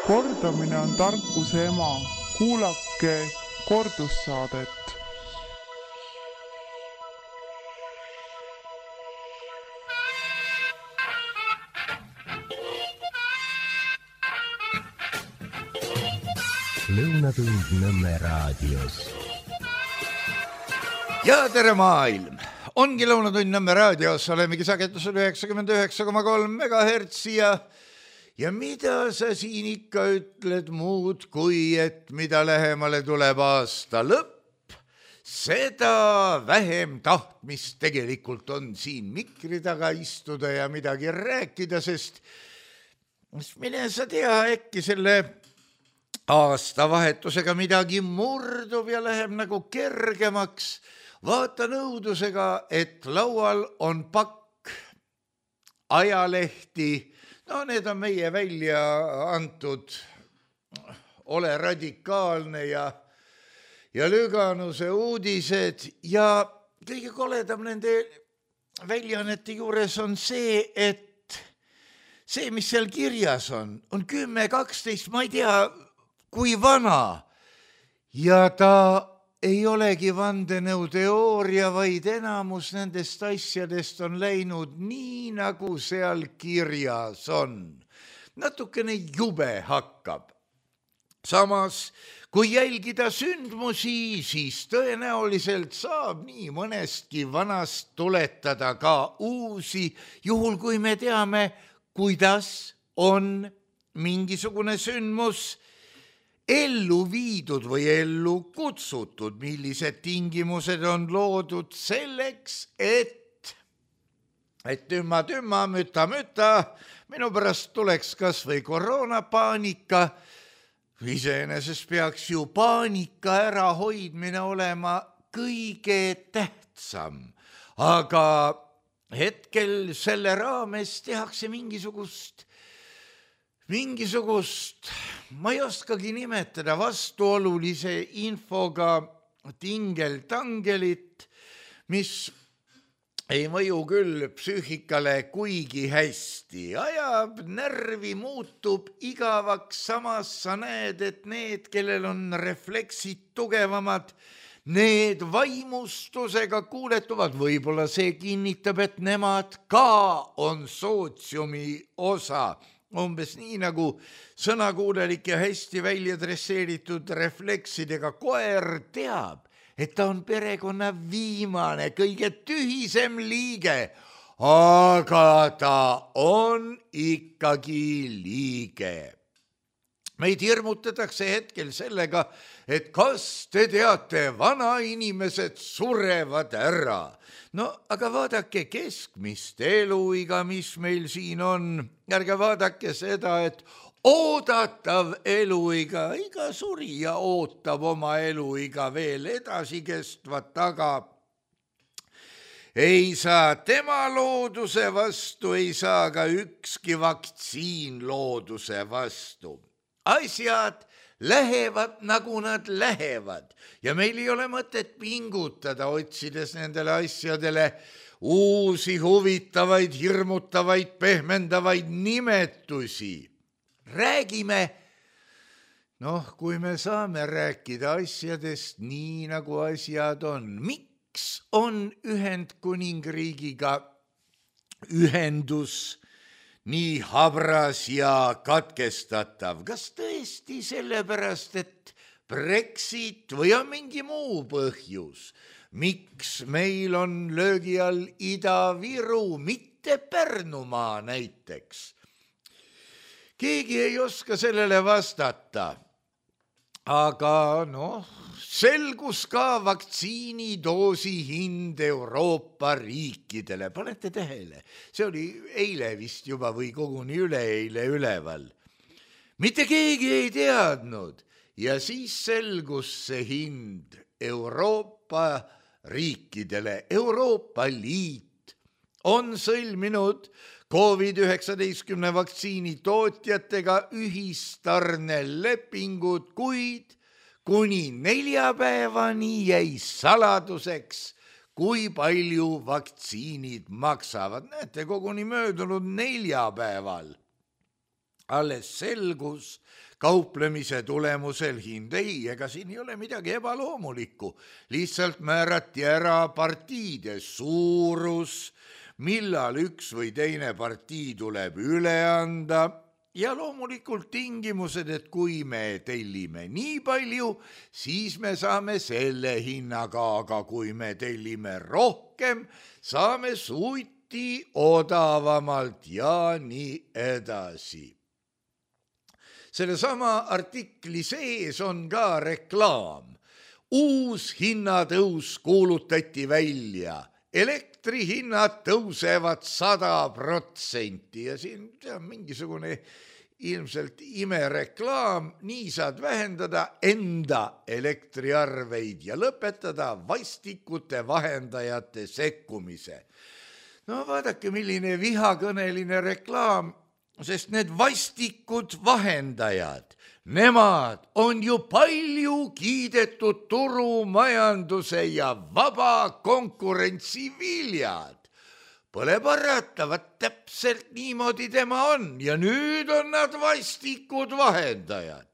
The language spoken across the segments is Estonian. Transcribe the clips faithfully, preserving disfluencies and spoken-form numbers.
Kordamine on tarkuse ema. Kuulake kordussaadet. Lõunatund Nõmme raadios. Ja tere maailm! Ongi Lõunatund Nõmme raadios, olemegi sagedusel üheksakümmend üheksa koma kolm megahertsi ja ja mida sa siin ikka ütled muud, kui et mida lähemale tuleb aasta lõpp, seda vähem tahtmist tegelikult on siin mikri taga istuda ja midagi rääkida, sest mine sa tea, äkki selle aastavahetusega midagi murdub ja läheb nagu kergemaks. Vaata nõudusega, et laual on pakk ajalehti. No need on meie välja antud Ole radikaalne ja, ja Lüganuse uudised ja kõige koledam nende väljaannete juures on see, et see, mis seal kirjas on, on kümme, kaksteist, ma ei tea, kui vana ja ta ei olegi vandenõuteooria, vaid enamus nendest asjadest on läinud nii, nagu seal kirjas on. Natukene jube hakkab. Samas, kui jälgida sündmusi, siis tõenäoliselt saab nii mõnestki vanast tuletada ka uusi, juhul kui me teame, kuidas on mingisugune sündmus ellu viidud või ellu kutsutud, millised tingimused on loodud selleks, et, et tümma, tümma, müta, müta, minu pärast tuleks kas või koroonapaanika. Iseenesest peaks ju paanika ärahoidmine olema kõige tähtsam, aga hetkel selle raames tehakse mingisugust mingisugust, ma ei oskagi nimetada, vastuolulise infoga tingeltangelit, mis ei mõju küll psüühikale kuigi hästi. Ajab närvi, muutub igavaks, samas sa näed, et need, kellel on refleksid tugevamad, need vaimustusega kuuletuvad. Võib-olla see kinnitab, et nemad ka on sootsiumi osa. Umbes nii nagu sõnakuulelik ja hästi välja dresseeritud refleksidega koer teab, et ta on perekonna viimane, kõige tühisem liige, aga ta on ikkagi liige. Meid hirmutatakse hetkel sellega, et kas te teate, vanainimesed surevad ära. No aga vaadake keskmist eluiga, mis meil siin on. Ärge vaadake seda, et oodatav eluiga, iga surija ootab oma eluiga veel edasi kestvat, aga ei saa tema looduse vastu, ei saa ka ükski vaktsiin looduse vastu. Asjad lähevad, nagu nad lähevad ja meil ei ole mõtet pingutada, otsides nendele asjadele uusi huvitavaid, hirmutavaid, pehmendavaid nimetusi. Räägime, noh, kui me saame rääkida asjadest nii, nagu asjad on. Miks on Ühendkuningriigiga ühendus nii habras ja katkestatav? Kas tõesti sellepärast, et Brexit või on mingi muu põhjus? Miks meil on löögi all Ida-Viru, mitte Pärnumaa näiteks? Keegi ei oska sellele vastata. Aga noh, selgus ka vaktsiinidoosi hind Euroopa riikidele. Panete tähele, see oli eile vist juba või koguni üleeile üleval. Mitte keegi ei teadnud ja siis selgus see hind Euroopa riikidele. Euroopa Liit on sõlminud covid üheksateist vaktsiini tootjatega ühistarnelepingud, kuid kuni neljapäevani jäi saladuseks, kui palju vaktsiinid maksavad. Näete, koguni möödunud neljapäeval alles selgus kauplemise tulemusel hind. Ei, ega siin ei ole midagi ebaloomulikku. Lihtsalt määrati ära partiide suurus, millal üks või teine partii tuleb üle anda ja loomulikult tingimused, et kui me tellime nii palju, siis me saame selle hinnaga, aga kui me tellime rohkem, saame suiti odavamalt ja nii edasi. Sellesama artikli sees on ka reklaam. Uus hinnatõus kuulutati välja. Elektrihinnad tõusevad sada protsenti ja siin on mingisugune ilmselt imereklaam. Nii saad vähendada enda elektriarveid ja lõpetada vastikute vahendajate sekkumise. No vaadake, milline vihakõneline reklaam. Sest need vastikud vahendajad, nemad on ju palju kiidetud turumajanduse ja vaba konkurentsi viljad. Pole paratavat, täpselt niimoodi tema on ja nüüd on nad vastikud vahendajad.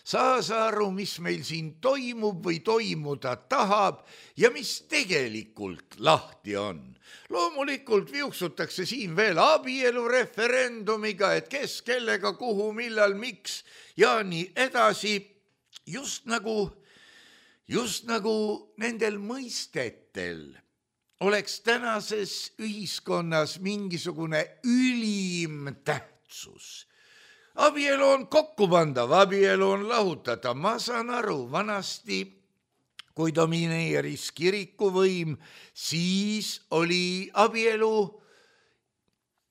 Saa sa aru, mis meil siin toimub või toimuda tahab ja mis tegelikult lahti on. Loomulikult viuksutakse siin veel abielu referendumiga, et kes, kellega, kuhu, millal, miks ja nii edasi. Just nagu, just nagu nendel mõistetel oleks tänases ühiskonnas mingisugune ülim tähtsus. Abielu on kokkupandav, abielu on lahutatav. Ma saan aru, vanasti, kui domineeris kirikuvõim, siis oli abielu,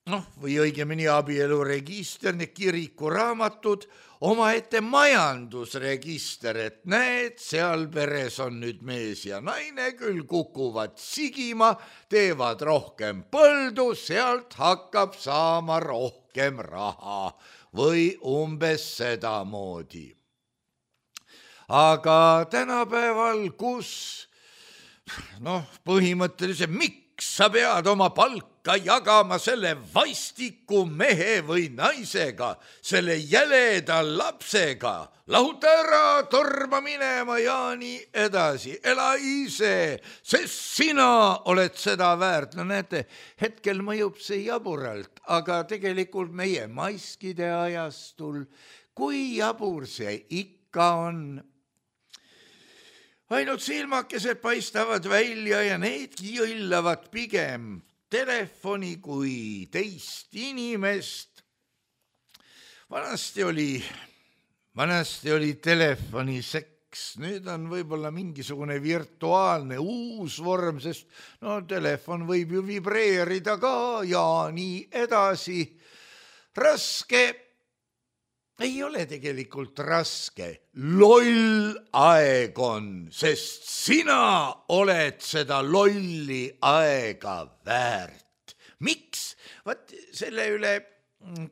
noh, või õigemini abielu register, need kirikuraamatud, omaette majandusregister, et näed, seal peres on nüüd mees ja naine, küll kukuvad sigima, teevad rohkem põldu, sealt hakkab saama rohkem raha või umbes sedamoodi. Aga tänapäeval, kus noh, põhimõtteliselt miks sa pead oma palka jagama selle vastiku mehe või naisega, selle jäleda lapsega, lahuta ära, torma minema ja nii edasi, ela ise, sest sina oled seda väärt. No näete, hetkel mõjub see jaburalt, aga tegelikult meie maiskide ajastul, kui jabur see ikka on, ainult silmakesed paistavad välja ja needki jõllavad pigem telefoni kui teist inimest. Vanasti oli, vanasti oli telefoni seks, nüüd on võib-olla mingisugune virtuaalne uus vorm, sest no telefon võib ju vibreerida ka ja nii edasi. Raske ei ole tegelikult raske, loll aeg on, sest sina oled seda lolli aega väärt. Miks? Vaat selle üle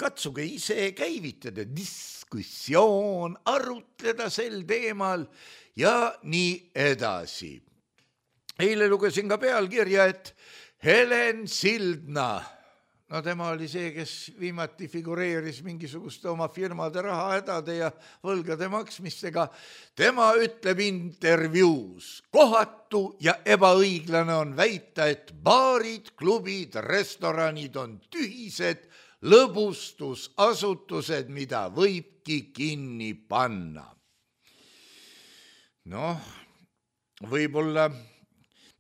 katsuge ise käivitada diskussioon, arutleda sel teemal ja nii edasi. Eile lugesin ka pealkirja, et Helen Sildna, no tema oli see, kes viimati figureeris mingisuguste oma firmade rahahädade ja võlgade maksmistega. Tema ütleb intervjuus, kohatu ja ebaõiglane on väita, et baarid, klubid, restoranid on tühised lõbustusasutused, mida võibki kinni panna. Noh, võib-olla,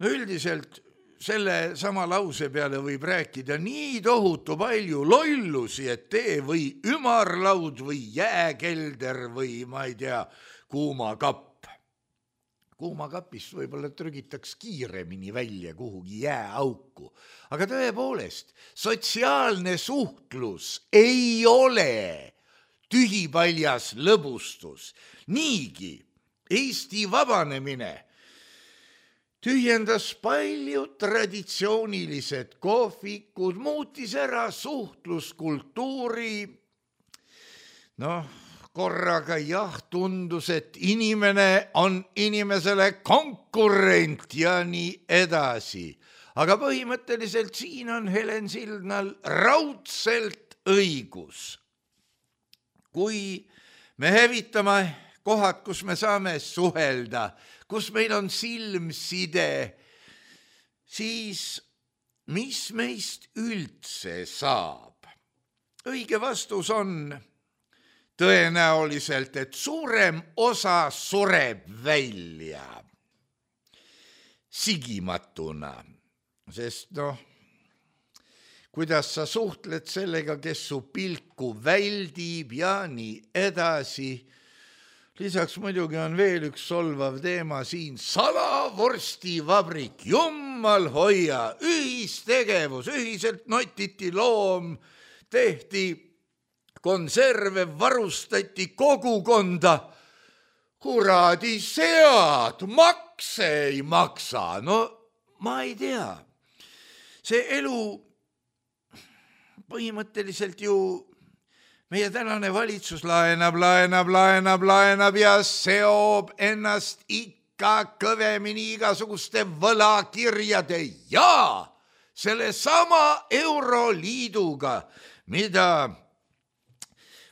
no üldiselt selle sama lause peale võib rääkida nii tohutu palju lollusi, et tee või ümarlaud või jääkelder või ma ei tea, kuumakapp. Kuumakapist võib-olla trügitaks kiiremini välja kuhugi jääauku. Aga tõepoolest, sotsiaalne suhtlus ei ole tühipaljas lõbustus. Niigi Eesti vabanemine tühjendas paljud traditsioonilised kohvikud, muutis ära suhtluskultuuri. Noh, korraga jah, tundus, et inimene on inimesele konkurent ja nii edasi. Aga põhimõtteliselt siin on Helen Sildnal raudselt õigus. kui me hävitame kohad, kus me saame suhelda, kus meil on silmside, siis mis meist üldse saab? Õige vastus on tõenäoliselt, et suurem osa sureb välja sigimatuna, sest noh, kuidas sa suhtled sellega, kes su pilku väldib ja nii edasi. Lisaks muidugi on veel üks solvav teema siin, salavorstivabrik, jummal hoia, ühistegevus, ühiselt notiti loom, tehti konserve, varustati kogukonda, kuradi sead, makse ei maksa, no ma ei tea. See elu põhimõtteliselt ju meie tänane valitsus laenab, laenab, laenab, laenab ja seob ennast ikka kõvemini igasuguste võlakirjade ja selle sama Euroliiduga, mida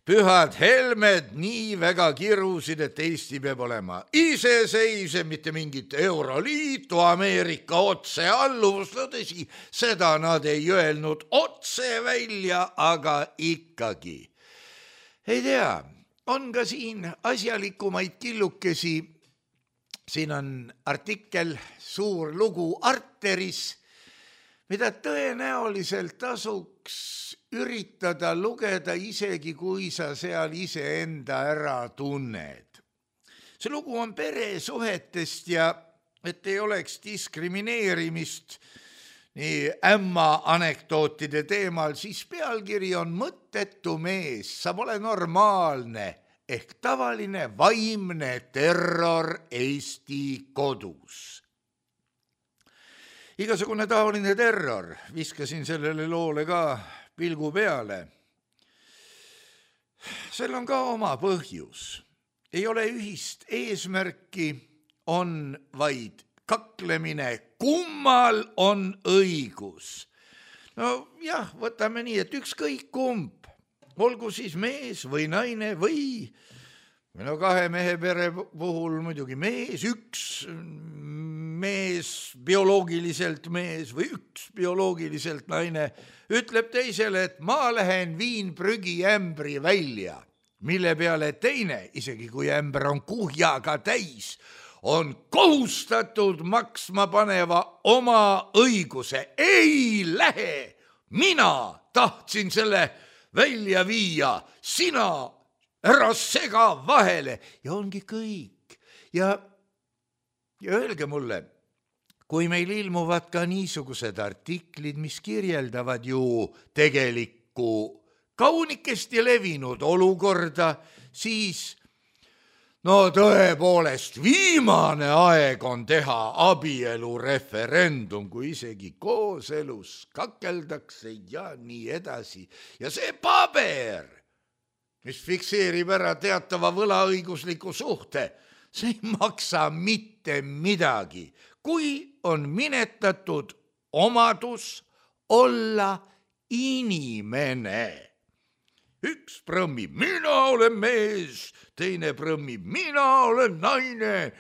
pühad Helmed nii väga kirusid, et Eesti peab olema iseseisev, mitte mingit Euroliitu, Ameerika otsealluvust, no tõsi, seda nad ei öelnud otse välja, aga ikkagi. Ei tea, on ka siin asjalikumaid killukesi, siin on artikkel, suur lugu Arteris, mida tõenäoliselt tasuks üritada lugeda isegi, kui sa seal iseenda ära tunned. See lugu on peresuhetest ja et ei oleks diskrimineerimist nii ämma anekdootide teemal, siis pealkiri on mõttetu mees, sa pole normaalne ehk tavaline vaimne terror Eesti kodus. Igasugune taoline terror, viskasin sellele loole ka pilgu peale. Sel on ka oma põhjus. Ei ole ühist eesmärki, on vaid kaklemine, kummal on õigus. No jah, võtame nii, et ükskõik kumb, olgu siis mees või naine või no kahe mehe pere puhul muidugi mees, üks mees, bioloogiliselt mees või üks bioloogiliselt naine, ütleb teisele, et ma lähen viin prügiämbri välja, mille peale teine, isegi kui ämber on kuhjaga täis, on kohustatud maksma paneva oma õiguse. Ei lähe, mina tahtsin selle välja viia, sina ära sega vahele ja ongi kõik. Ja, ja öelge mulle, kui meil ilmuvad ka niisugused artiklid, mis kirjeldavad ju tegelikku kaunikesti levinud olukorda, siis no tõepoolest viimane aeg on teha abielureferendum, kui isegi kooselus kakeldakse ja nii edasi. Ja see paber, mis fikseerib ära teatava võlaõigusliku suhte, see ei maksa mitte midagi, kui on minetatud omadus olla inimene. Üks prõmmib, mina olen mees, teine prõmmib, mina olen naine.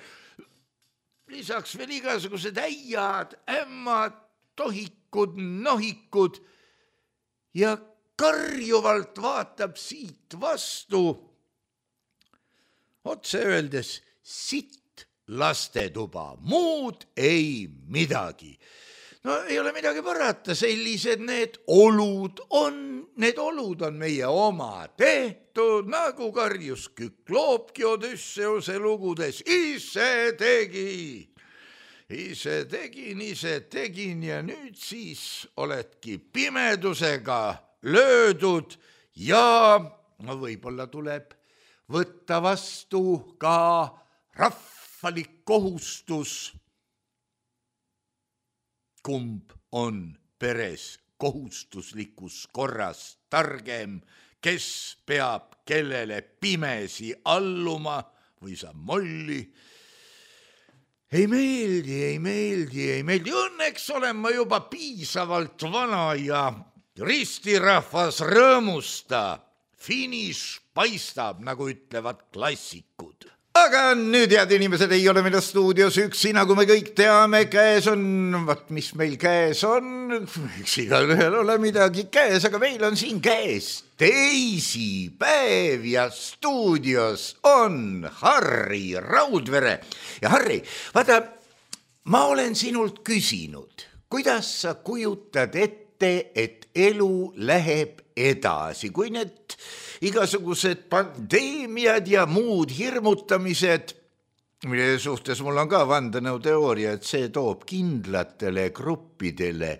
Lisaks veel igasugused äiad, ämmad, tohikud, nohikud ja karjuvalt vaatab siit vastu, otse öeldes sitt lastetuba, muud ei midagi. No ei ole midagi parata, sellised need olud on, need olud on meie oma tehtud, nagu karjus Kükloopki Odüsseuse lugudes, ise tegin, ise tegin, ise tegin ja nüüd siis oledki pimedusega löödud ja no võib-olla tuleb võtta vastu ka rahvalik kohustus. Kumb on peres kohustuslikus korras targem, kes peab kellele pimesi alluma või sa molli. Ei meeldi, ei meeldi, ei meeldi. Õnneks olen ma juba piisavalt vana ja ristirahvas rõõmusta. finiš paistab, nagu ütlevad klassikud. Aga nüüd, head inimesed, ei ole meil stuudios üksi, nagu me kõik teame, käes on, vaat mis meil käes on, eks igal ühel ole midagi käes, aga meil on siin käes teisipäev ja stuudios on Harri Raudvere. Ja Harri, vaata, ma olen sinult küsinud, kuidas sa kujutad ette, et elu läheb edasi, kui need igasugused pandeemiad ja muud hirmutamised, mille suhtes mul on ka vandenõuteooria, et see toob kindlatele gruppidele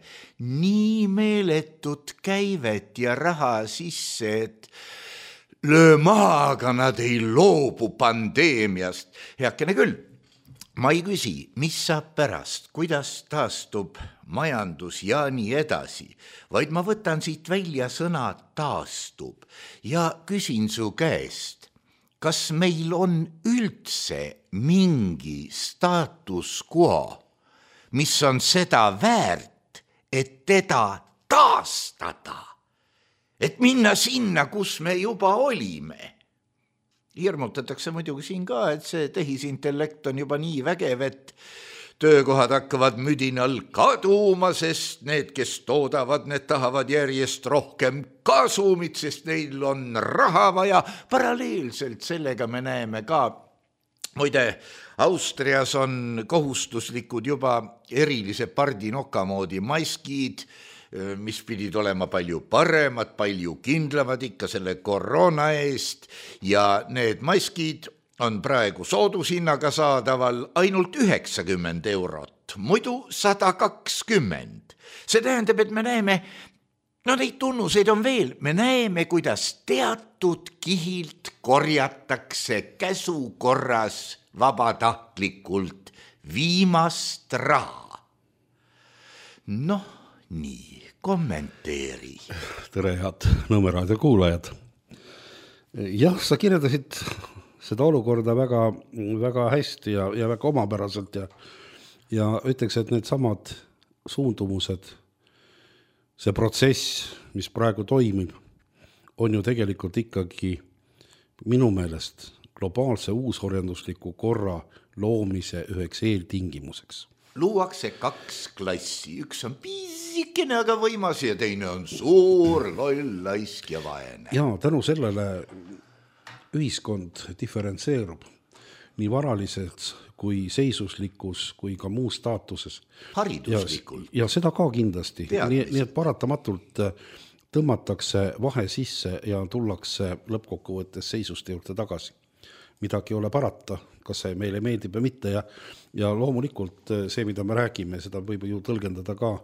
nii meeletut käivet ja raha sisse, et löö maha, aga nad ei loobu pandeemiast. Heakene küll, ma ei küsi, mis saab pärast, kuidas taastub majandus ja nii edasi, vaid ma võtan siit välja sõna taastub ja küsin su käest, kas meil on üldse mingi status quo, mis on seda väärt, et teda taastada, et minna sinna, kus me juba olime. Hirmutatakse muidugi siin ka, et see tehisintellekt on juba nii vägev, et töökohad hakkavad müdinal kaduma, sest need, kes toodavad, need tahavad järjest rohkem kasumit, sest neil on raha vaja. Paralleelselt sellega me näeme ka, muide, Austrias on kohustuslikud juba erilise pardinoka moodi maskid, mis pidid olema palju paremad, palju kindlamad ikka selle koroona eest ja need maskid on praegu soodushinnaga saadaval ainult üheksakümmend eurot, muidu sada kakskümmend. See tähendab, et me näeme, no neid tunnuseid on veel, me näeme, kuidas teatud kihilt korjatakse käsukorras vabatahtlikult viimast raha. Noh, nii, kommenteeri. Tere, head Nõmme-raadio kuulajad. Jah, sa kirjeldasid seda olukorda väga, väga hästi ja, ja väga omapäraselt ja, ja ütleks, et need samad suundumused, see protsess, mis praegu toimib, on ju tegelikult ikkagi minu meelest globaalse uusorjandusliku korra loomise üheks eeltingimuseks. Luuakse kaks klassi, üks on piisikene, aga võimas ja teine on suur, loll, laisk ja vaene. Ja tänu sellele ühiskond diferentseerub nii varalises kui seisuslikus kui ka muus staatuses. Hariduslikult. Ja, ja seda ka kindlasti. Nii, nii et paratamatult tõmmatakse vahe sisse ja tullakse lõppkokkuvõttes seisuste juurde tagasi. Midagi ei ole parata, kas see meile meeldib või mitte ja, ja loomulikult see, mida me räägime, seda võib ju tõlgendada ka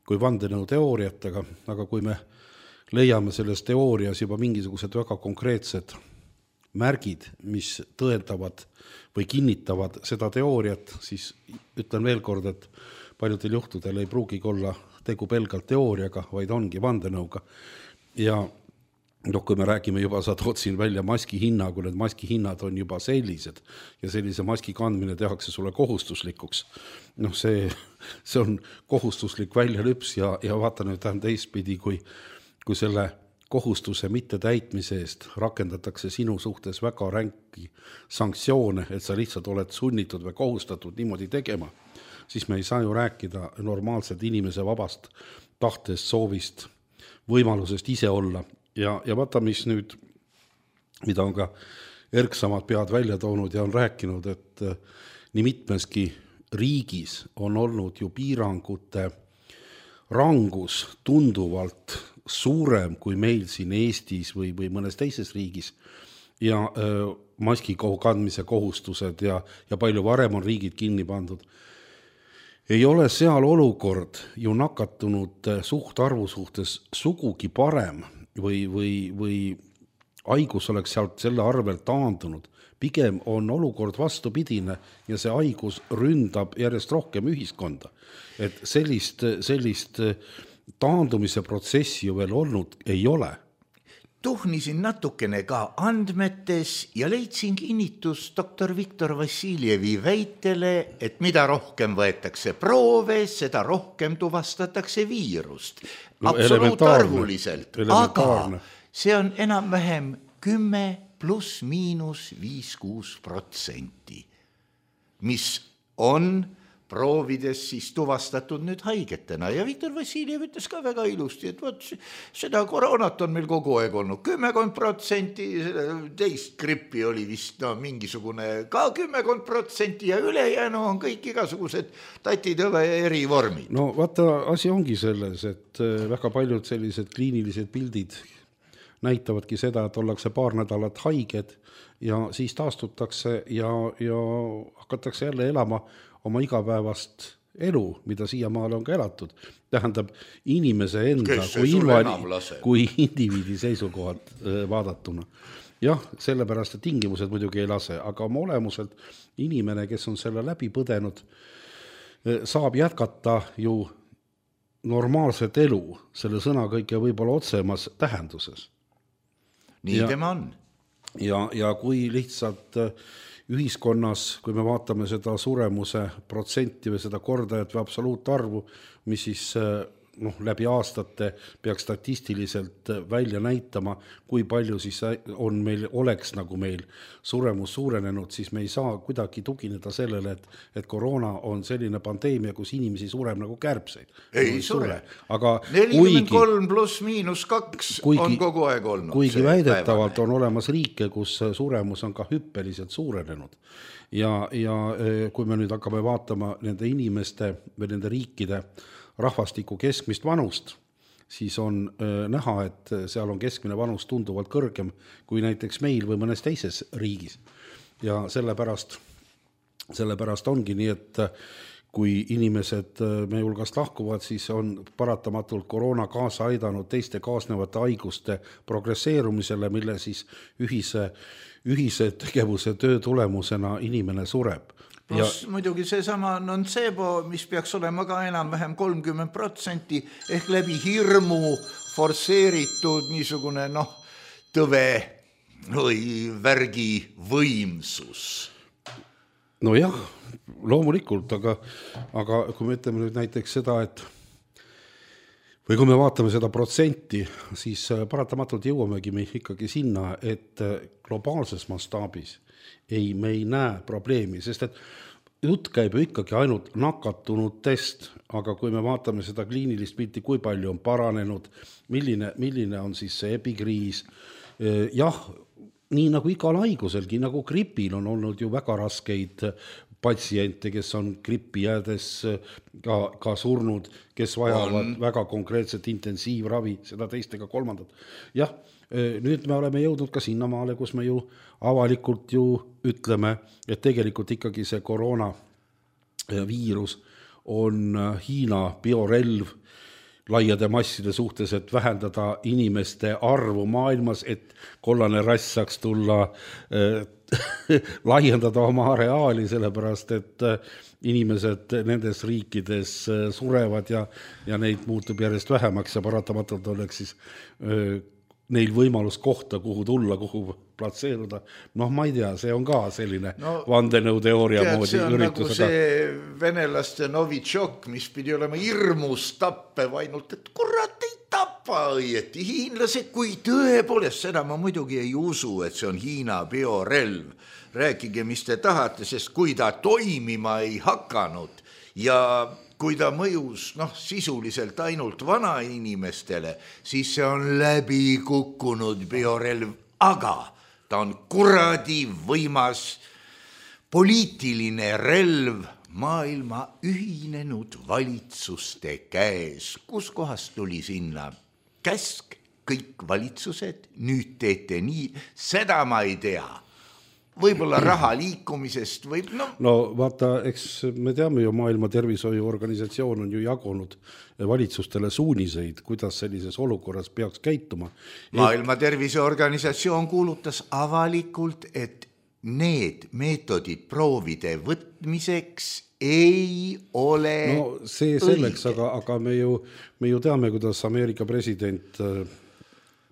kui vandenõu teooriatega, aga kui me leiame selles teoorias juba mingisugused väga konkreetsed märgid, mis tõendavad või kinnitavad seda teooriat, siis ütlen veel kord, et paljudel juhtudel ei pruugigi olla tegu pelgalt teooriaga, vaid ongi vandenõuga. Ja noh, kui me räägime juba, sa tood siin välja maski hinna, kui need maski hinnad on juba sellised ja sellise maski kandmine tehakse sulle kohustuslikuks. Noh, see, see on kohustuslik väljalüps ja, ja vaata nüüd tähendab teistpidi, kui, kui selle kohustuse mitte täitmise eest rakendatakse sinu suhtes väga ränki sanktsioone, et sa lihtsalt oled sunnitud või kohustatud niimoodi tegema, siis me ei saa ju rääkida normaalselt inimese vabast tahtest, soovist, võimalusest ise olla. Ja, ja vaata, mis nüüd, mida on ka erksamad pead välja toonud ja on rääkinud, et nii mitmeski riigis on olnud ju piirangute rangus tunduvalt suurem kui meil siin Eestis või, või mõnes teises riigis ja öö, maski kandmise kohustused ja, ja palju varem on riigid kinni pandud. Ei ole seal olukord ju nakatunud suhtarvu suhtes sugugi parem või, või, või haigus oleks sealt selle arvel taandunud. Pigem on olukord vastupidine ja see haigus ründab järjest rohkem ühiskonda. Et sellist, sellist taandumise protsessi ju veel olnud ei ole. Tuhnisin natukene ka andmetes ja leidsin kinnitus doktor Viktor Vassiljevi väitele, et mida rohkem võetakse proove, seda rohkem tuvastatakse viirust. No, absoluutarvuliselt. Aga see on enam-vähem kümme pluss miinus viis kuus protsenti, mis on proovides siis tuvastatud nüüd haigetena ja Viktor Vassiljev ütles ka väga ilusti, et võt, seda koroonat on meil kogu aeg olnud kümmekond protsenti, teist grippi oli vist no, mingisugune ka kümmekond protsenti ja ülejäänu on kõik igasugused tatitõve erivormid. No vaata, asi ongi selles, et väga paljud sellised kliinilised pildid näitavadki seda, et ollakse paar nädalat haiged ja siis taastutakse ja, ja hakatakse jälle elama oma igapäevast elu, mida siiamaale on ka elatud. Tähendab inimese enda kui, invali, kui indiviidi seisukohalt vaadatuna. Jah, sellepärast, et tingimused muidugi ei lase, aga oma olemuselt inimene, kes on selle läbi põdenud, saab jätkata ju normaalset elu, selle sõna kõige võib-olla otsemas tähenduses. Nii ja, tema on. Ja, ja kui lihtsalt ühiskonnas, kui me vaatame seda suremuse protsenti või seda kordajat või absoluutarvu, mis siis noh, läbi aastate peaks statistiliselt välja näitama, kui palju siis on meil, oleks nagu meil suremus suurenenud, siis me ei saa kuidagi tugineda sellele, et, et koroona on selline pandeemia, kus inimesi sureb nagu kärbseid. Ei sure. Aga nelikümmend kolm pluss miinus kaks kuigi, on kogu aeg olnud. Kuigi väidetavalt on olemas riike, kus suremus on ka hüppeliselt suurenenud. Ja, ja kui me nüüd hakkame vaatama nende inimeste või nende riikide rahvastiku keskmist vanust, siis on äh, näha, et seal on keskmine vanus tunduvalt kõrgem kui näiteks meil või mõnes teises riigis. Ja sellepärast, sellepärast ongi nii, et kui inimesed meie hulgast lahkuvad, siis on paratamatult koroona kaasa aidanud teiste kaasnevate haiguste progresseerumisele, mille siis ühise, ühise tegevuse töö tulemusena inimene sureb. Plus ja, muidugi seesama noncebo, mis peaks olema ka enam-vähem kolmkümmend protsenti ehk läbi hirmu forsseeritud niisugune noh, tõve või värgi võimsus. No jah, loomulikult, aga, aga kui me ütleme nüüd näiteks seda, et või kui me vaatame seda protsenti, siis paratamatult jõuamegi me ikkagi sinna, et globaalses mastaabis ei, me ei näe probleemi, sest et jutt käib ju ikkagi ainult nakatunud test, aga kui me vaatame seda kliinilist pilti, kui palju on paranenud, milline, milline on siis see epikriis, jah, nii nagu igal haiguselgi, nagu gripil on olnud ju väga raskeid patsiente, kes on gripi jäädes ka, ka surnud, kes vajavad on väga konkreetset intensiivravi, seda teistega kolmandat. Jah, nüüd me oleme jõudnud ka sinnamaale, kus me ju avalikult ju ütleme, et tegelikult ikkagi see koroona viirus on Hiina biorelv laiade masside suhtes, et vähendada inimeste arvu maailmas, et kollane rass saaks tulla äh, laiendada oma areaali, sellepärast et inimesed nendes riikides surevad ja, ja neid muutub järjest vähemaks ja paratamatult oleks siis äh, neil võimalus kohta, kuhu tulla, kuhu platseeruda. Noh, ma ei tea, see on ka selline no, vandenõuteooria moodi see on üritus. Nagu see venelaste Novitšok, mis pidi olema hirmus tappev ainult, et kurat ei tapa õieti. Hiinlased, kui tõepoolest, seda ma muidugi ei usu, et see on Hiina biorelv. Rääkige, mis te tahate, sest kui ta toimima ei hakanud ja kui ta mõjus noh, sisuliselt ainult vanainimestele, siis see on läbi kukkunud biorelv, aga ta on kuradi võimas poliitiline relv maailma ühinenud valitsuste käes. Kus kohast tuli sinna käsk, kõik valitsused, nüüd teete nii, seda ma ei tea. Võib-olla raha liikumisest võib, no. No vaata, eks me teame ju, Maailma Tervishoiuorganisatsioon on ju jagunud valitsustele suuniseid, kuidas sellises olukorras peaks käituma. Maailma Tervishoiuorganisatsioon kuulutas avalikult, et need meetodid proovide võtmiseks ei ole no see selleks, aga, aga me ju, me ju teame, kuidas Ameerika president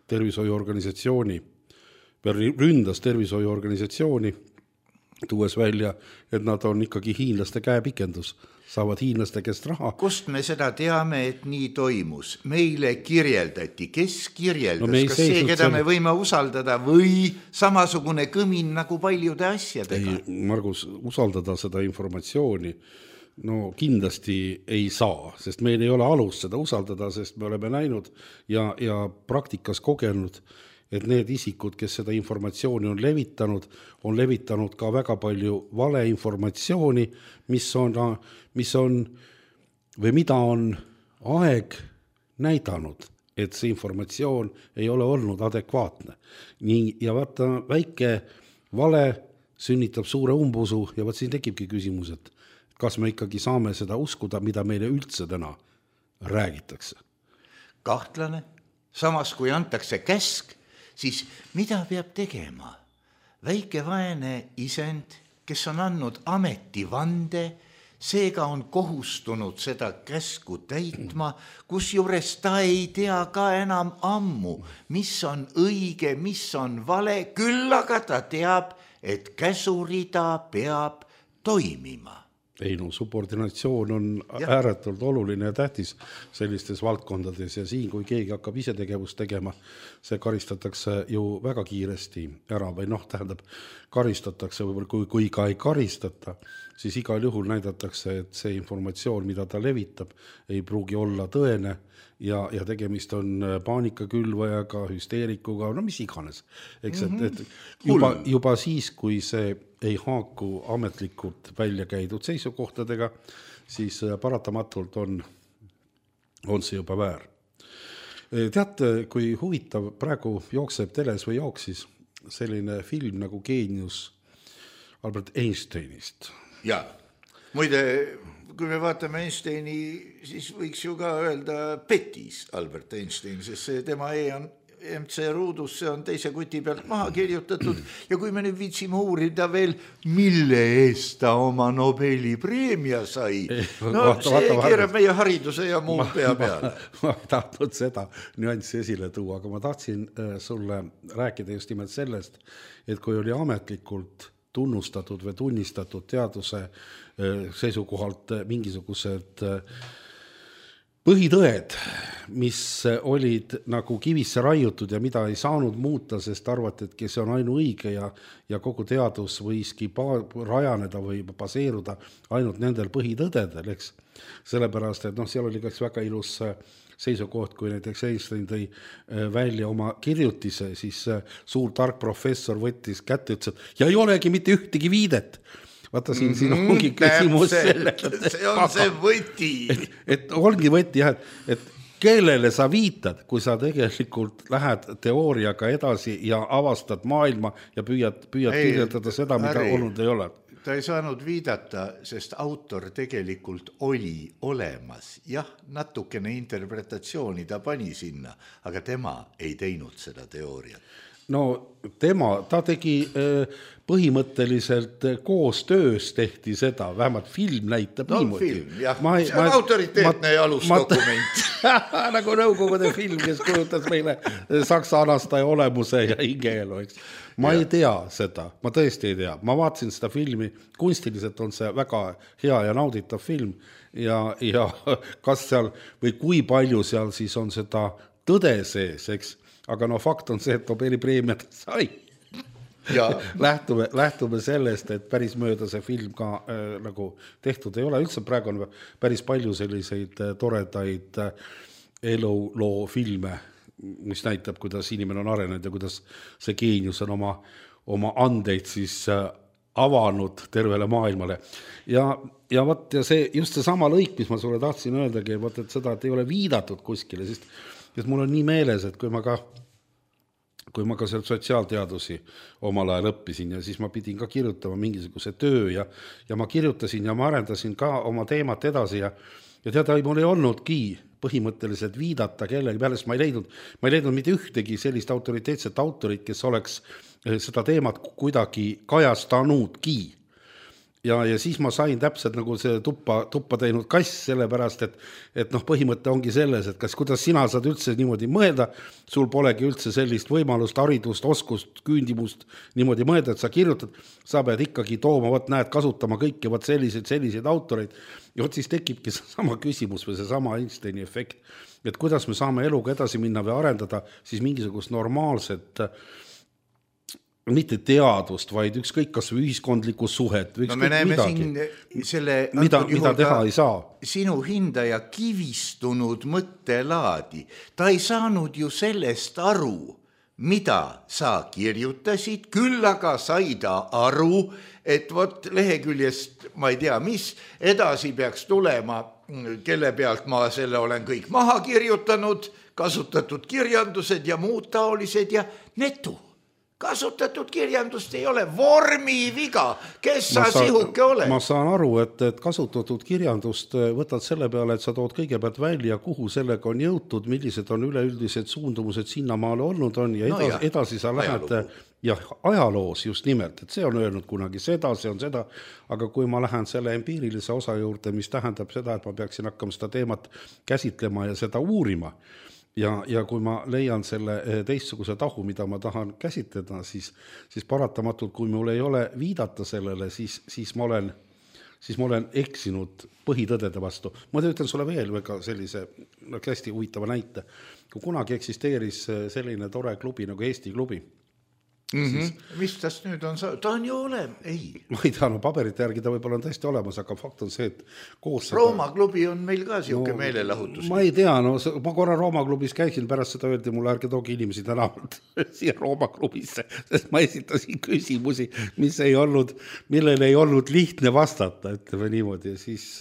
Tervishoiuorganisatsiooni ründas tervishoiuorganisatsiooni tuues välja, et nad on ikkagi hiinlaste käepikendus, saavad hiinlaste käest raha. Kust me seda teame, et nii toimus? Meile kirjeldati, kes kirjeldas, no kas see, keda selle... me võime usaldada või samasugune kõmin nagu paljude asjadega? Ei, Margus, usaldada seda informatsiooni no kindlasti ei saa, sest meil ei ole alust seda usaldada, sest me oleme näinud ja, ja praktikas kogenud, et need isikud, kes seda informatsiooni on levitanud, on levitanud ka väga palju valeinformatsiooni, mis on, mis on või mida on aeg näidanud, et see informatsioon ei ole olnud adekvaatne. Nii, ja vaata, väike vale sünnitab suure umbusu ja vaat siin tekibki küsimus, et kas me ikkagi saame seda uskuda, mida meile üldse täna räägitakse? Kahtlane. Samas, kui antakse käsk, siis mida peab tegema? Väike vaene isend, kes on andnud ametivande, seega on kohustunud seda käsku täitma, kusjuures ta ei tea ka enam ammu, mis on õige, mis on vale, küll aga ta teab, et käsurida peab toimima. Ei no, subordinatsioon on ja. ääretult oluline ja tähtis sellistes valdkondades ja siin, kui keegi hakkab ise tegevust tegema, see karistatakse ju väga kiiresti ära või noh, tähendab, karistatakse või kui, kui ka ei karistata, siis igal juhul näidatakse, et see informatsioon, mida ta levitab, ei pruugi olla tõene ja, ja tegemist on paanikakülvajaga, hüsteerikuga, no mis iganes. Eks, mm-hmm. et, et juba, juba siis, kui see ei haaku ametlikult välja käidud seisukohtadega, siis paratamatult on, on see juba väär. Teate, kui huvitav praegu jookseb teles või jooksis selline film nagu Geenius Albert Einsteinist. Ja, muide, kui me vaatame Einsteini, siis võiks ju ka öelda petis Albert Einstein, sest see tema E on M C ruudus, see on teise kuti pealt maha kirjutatud ja kui me nüüd viitsime uurida veel, mille eest ta oma Nobeli preemia sai, no vaata, see vaata, keerab vaata. Meie hariduse ja muu pea peale. Ma, ma ei tahtnud seda nüanssi esile tuua, aga ma tahtsin sulle rääkida just nimelt sellest, et kui oli ametlikult tunnustatud või tunnistatud teaduse seisukohalt mingisugused põhitõed, mis olid nagu kivisse raiutud ja mida ei saanud muuta, sest arvati, et see on ainuõige ja, ja kogu teadus võiski pa- rajaneda või baseeruda ainult nendel põhitõdedel, eks. Sellepärast, et noh, seal oli kas väga ilus seisukoht, kui näiteks Einstein tõi välja oma kirjutise, siis suur tark professor võttis kätte, ütles, et ja ei olegi mitte ühtegi viidet. Vaata, siin, siin ongi küsimus selle, see on see võti. Et, et ongi võti, jah, et, et kellele sa viitad, kui sa tegelikult lähed teooriaga edasi ja avastad maailma ja püüad, püüad ei, kirjeldada seda, mida äri, olnud ei ole. Ta ei saanud viidata, sest autor tegelikult oli olemas. Jah, natukene interpretatsiooni ta pani sinna, aga tema ei teinud seda teooriat. No tema, ta tegi põhimõtteliselt koostöös tehti seda, vähemalt film näitab no, niimoodi. Film, jah. Ma, see on ma, autoriteetne ja alusdokument. Nagu Nõukogude film, kes kujutas meile saksa anastaja olemuse ja hingeelu, eks. Ma ja. ei tea seda, ma tõesti ei tea. Ma vaatasin seda filmi, kunstiliselt on see väga hea ja nauditav film ja, ja kas seal või kui palju seal siis on seda tõde sees, eks. Aga no fakt on see, et Nobeli preemiat sai. Ja. lähtume, lähtume sellest, et päris mööda see film ka äh, nagu tehtud ei ole. Üldse praegu on päris palju selliseid äh, toredaid äh, eluloo filme, mis näitab, kuidas inimene on arenenud ja kuidas see geenius on oma, oma andeid siis äh, avanud tervele maailmale. Ja, ja, võt, ja see, just see sama lõik, mis ma sulle tahtsin öeldagi, võt, et seda, et ei ole viidatud kuskile, sest sest mul on nii meeles, et kui ma ka, kui ma ka sealt sotsiaalteadusi omal ajal õppisin ja siis ma pidin ka kirjutama mingisuguse töö ja, ja ma kirjutasin ja ma arendasin ka oma teemat edasi ja, ja teada, mul ei olnudki põhimõtteliselt viidata kellegi peale, sest ma ei leidnud, ma ei leidnud mitte ühtegi sellist autoriteetset autorit, kes oleks seda teemat kuidagi kajastanudki. ja, ja siis ma sain täpselt nagu see tuppa, tuppa teinud kass, sellepärast, et, et noh, põhimõte ongi selles, et kas kuidas sina saad üldse niimoodi mõelda, sul polegi üldse sellist võimalust, haridust, oskust, küündimust niimoodi mõelda, et sa kirjutad, sa pead ikkagi tooma, võt näed, kasutama kõiki võt selliseid, selliseid autoreid, ja võt siis tekibki sama küsimus või see sama Einsteini efekt, et kuidas me saame eluga edasi minna või arendada siis mingisugust normaalset mitte teadust, vaid ükskõik kas või ühiskondlikku suhet või no me näeme midagi, siin selle mida, mida teha ei saa. Sinu hindaja kivistunud mõttelaadi. Ta ei saanud ju sellest aru, mida sa kirjutasid, küll aga sai ta aru, et vot leheküljest, ma ei tea, mis edasi peaks tulema, kelle pealt ma selle olen kõik maha kirjutanud, kasutatud kirjandused ja muud taolised ja netu. Kasutatud kirjandust ei ole, vormi viga, kes sa saan, sihuke oled? Ma saan aru, et, et kasutatud kirjandust võtad selle peale, et sa tood kõigepealt välja, kuhu sellega on jõutud, millised on üleüldised suundumused sinnamaale olnud on ja edasi, no ja, edasi sa lähed ja ajaloos just nimelt, et see on öelnud kunagi seda, see on seda, aga kui ma lähen selle empiirilise osa juurde, mis tähendab seda, et ma peaksin hakkama seda teemat käsitlema ja seda uurima, Ja, ja kui ma leian selle teistsuguse tahu, mida ma tahan käsitleda, siis, siis paratamatult, kui mul ei ole viidata sellele, siis, siis, ma, olen, siis ma olen eksinud põhitõdede vastu. Ma ütlen sulle veel väga sellise no, hästi huvitava näite. Kui kunagi eksisteeris selline tore klubi nagu Eesti klubi, Mm-hmm. Siis, mis tast nüüd on, ta on ju olem, ei. Ma ei tea, no paberite järgi ta võib-olla on tõesti olemas, aga fakt on see, et koos Rooma seda... klubi on meil ka siuke no, meelelahutus. Ma ei tea, no ma korra Rooma klubis käisin, pärast seda öeldi mulle, ärge toogi inimesi tänavalt siia Rooma klubisse, sest ma esitasin küsimusi, mis ei olnud, millele ei olnud lihtne vastata, ütleme niimoodi, ja siis...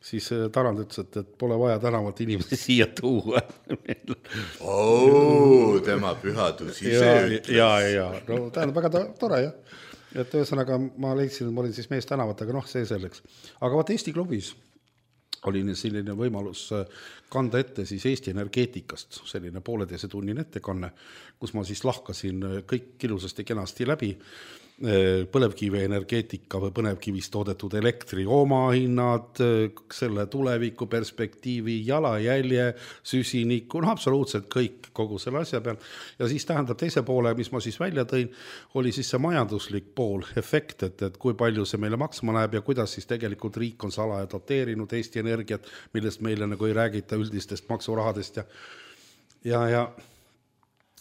siis Tarand ütles, et, et pole vaja tänavalt inimesi siia tuua. Oo, tema pühadus ise ütles. Ja, ja, no tähendab väga tore, jah. Et ühesõnaga ma leidsin, et ma olin siis mees tänavat, aga noh, see selleks. Aga vaat Eesti klubis oli selline võimalus kanda ette siis Eesti energeetikast, selline pooleteise tunnine ettekanne, kus ma siis lahkasin kõik ilusasti kenasti läbi, põlevkivi energeetika või põlevkivist toodetud elektri omahinnad, selle tuleviku perspektiivi, jalajälje, süsiniku, no absoluutselt kõik kogu selle asja peal. Ja siis tähendab teise poole, mis ma siis välja tõin, oli siis see majanduslik pool, efekt, et, et kui palju see meile maksma läheb ja kuidas siis tegelikult riik on salaja doteerinud Eesti energiat, millest meile nagu ei räägita üldistest maksurahadest ja, ja, ja,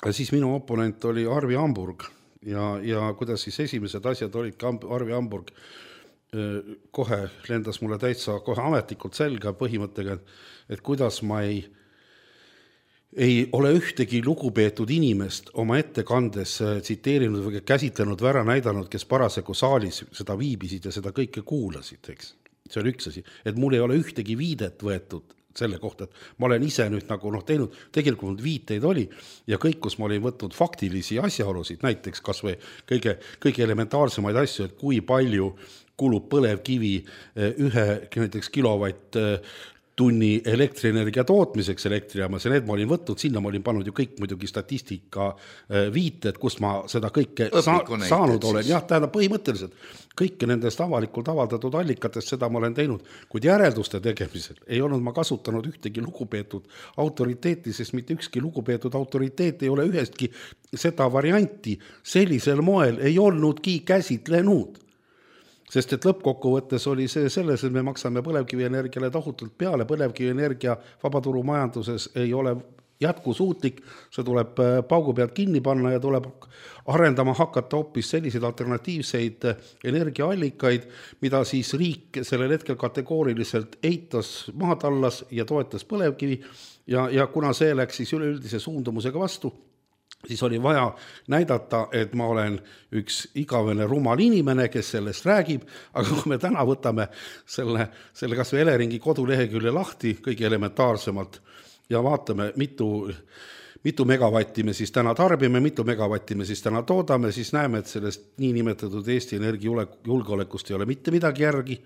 ja siis minu oponent oli Arvi Hamburg. Ja, ja kuidas siis esimesed asjad olid Arvi Hamburg kohe lendas mulle täitsa kohe ametlikult selga põhimõttega, et kuidas ma ei, ei ole ühtegi lugupeetud inimest oma ettekandes tsiteerinud või käsitlenud või ära näidanud, kes parasjagu saalis seda viibisid ja seda kõike kuulasid, eks. See on üks asi, et mul ei ole ühtegi viidet võetud selle kohta, et ma olen ise nüüd nagu noh teinud, tegelikult viiteid oli ja kõik, kus ma olin võtnud faktilisi asjaolusid, näiteks kas või kõige, kõige elementaarsemaid asju, et kui palju kulub põlevkivi ühe näiteks kilovatt tunni elektrienergia tootmiseks elektriaamas ja need ma olin võtnud, sinna ma olin pannud ju kõik muidugi statistika viited, kus ma seda kõike sa- saanud olen. Jah, tähendab põhimõtteliselt kõike nendest avalikult avaldatud allikatest, seda ma olen teinud, kuid järelduste tegemisel ei olnud ma kasutanud ühtegi lugupeetud autoriteeti, sest mitte ükski lugupeetud autoriteet ei ole ühestki seda varianti sellisel moel ei olnudki käsitlenud. Sest et lõppkokkuvõttes oli see selles, et me maksame põlevkivienergiale tohutult peale, põlevkivienergia vabaturumajanduses ei ole jätkusuutlik, see tuleb paugu pealt kinni panna ja tuleb arendama hakata hoopis selliseid alternatiivseid energiaallikaid, mida siis riik sellel hetkel kategooriliselt eitas maatallas ja toetas põlevkivi ja, ja kuna see läks siis üleüldise suundumusega vastu, siis oli vaja näidata, et ma olen üks igavene rumal inimene, kes sellest räägib, aga kui me täna võtame selle, selle kas või Eleringi kodulehekülje lahti kõige elementaarsemalt ja vaatame, mitu, mitu megavatti me siis täna tarbime, mitu megavatti me siis täna toodame, siis näeme, et sellest nii nimetatud Eesti energiajulgeolekust ei ole mitte midagi järgi.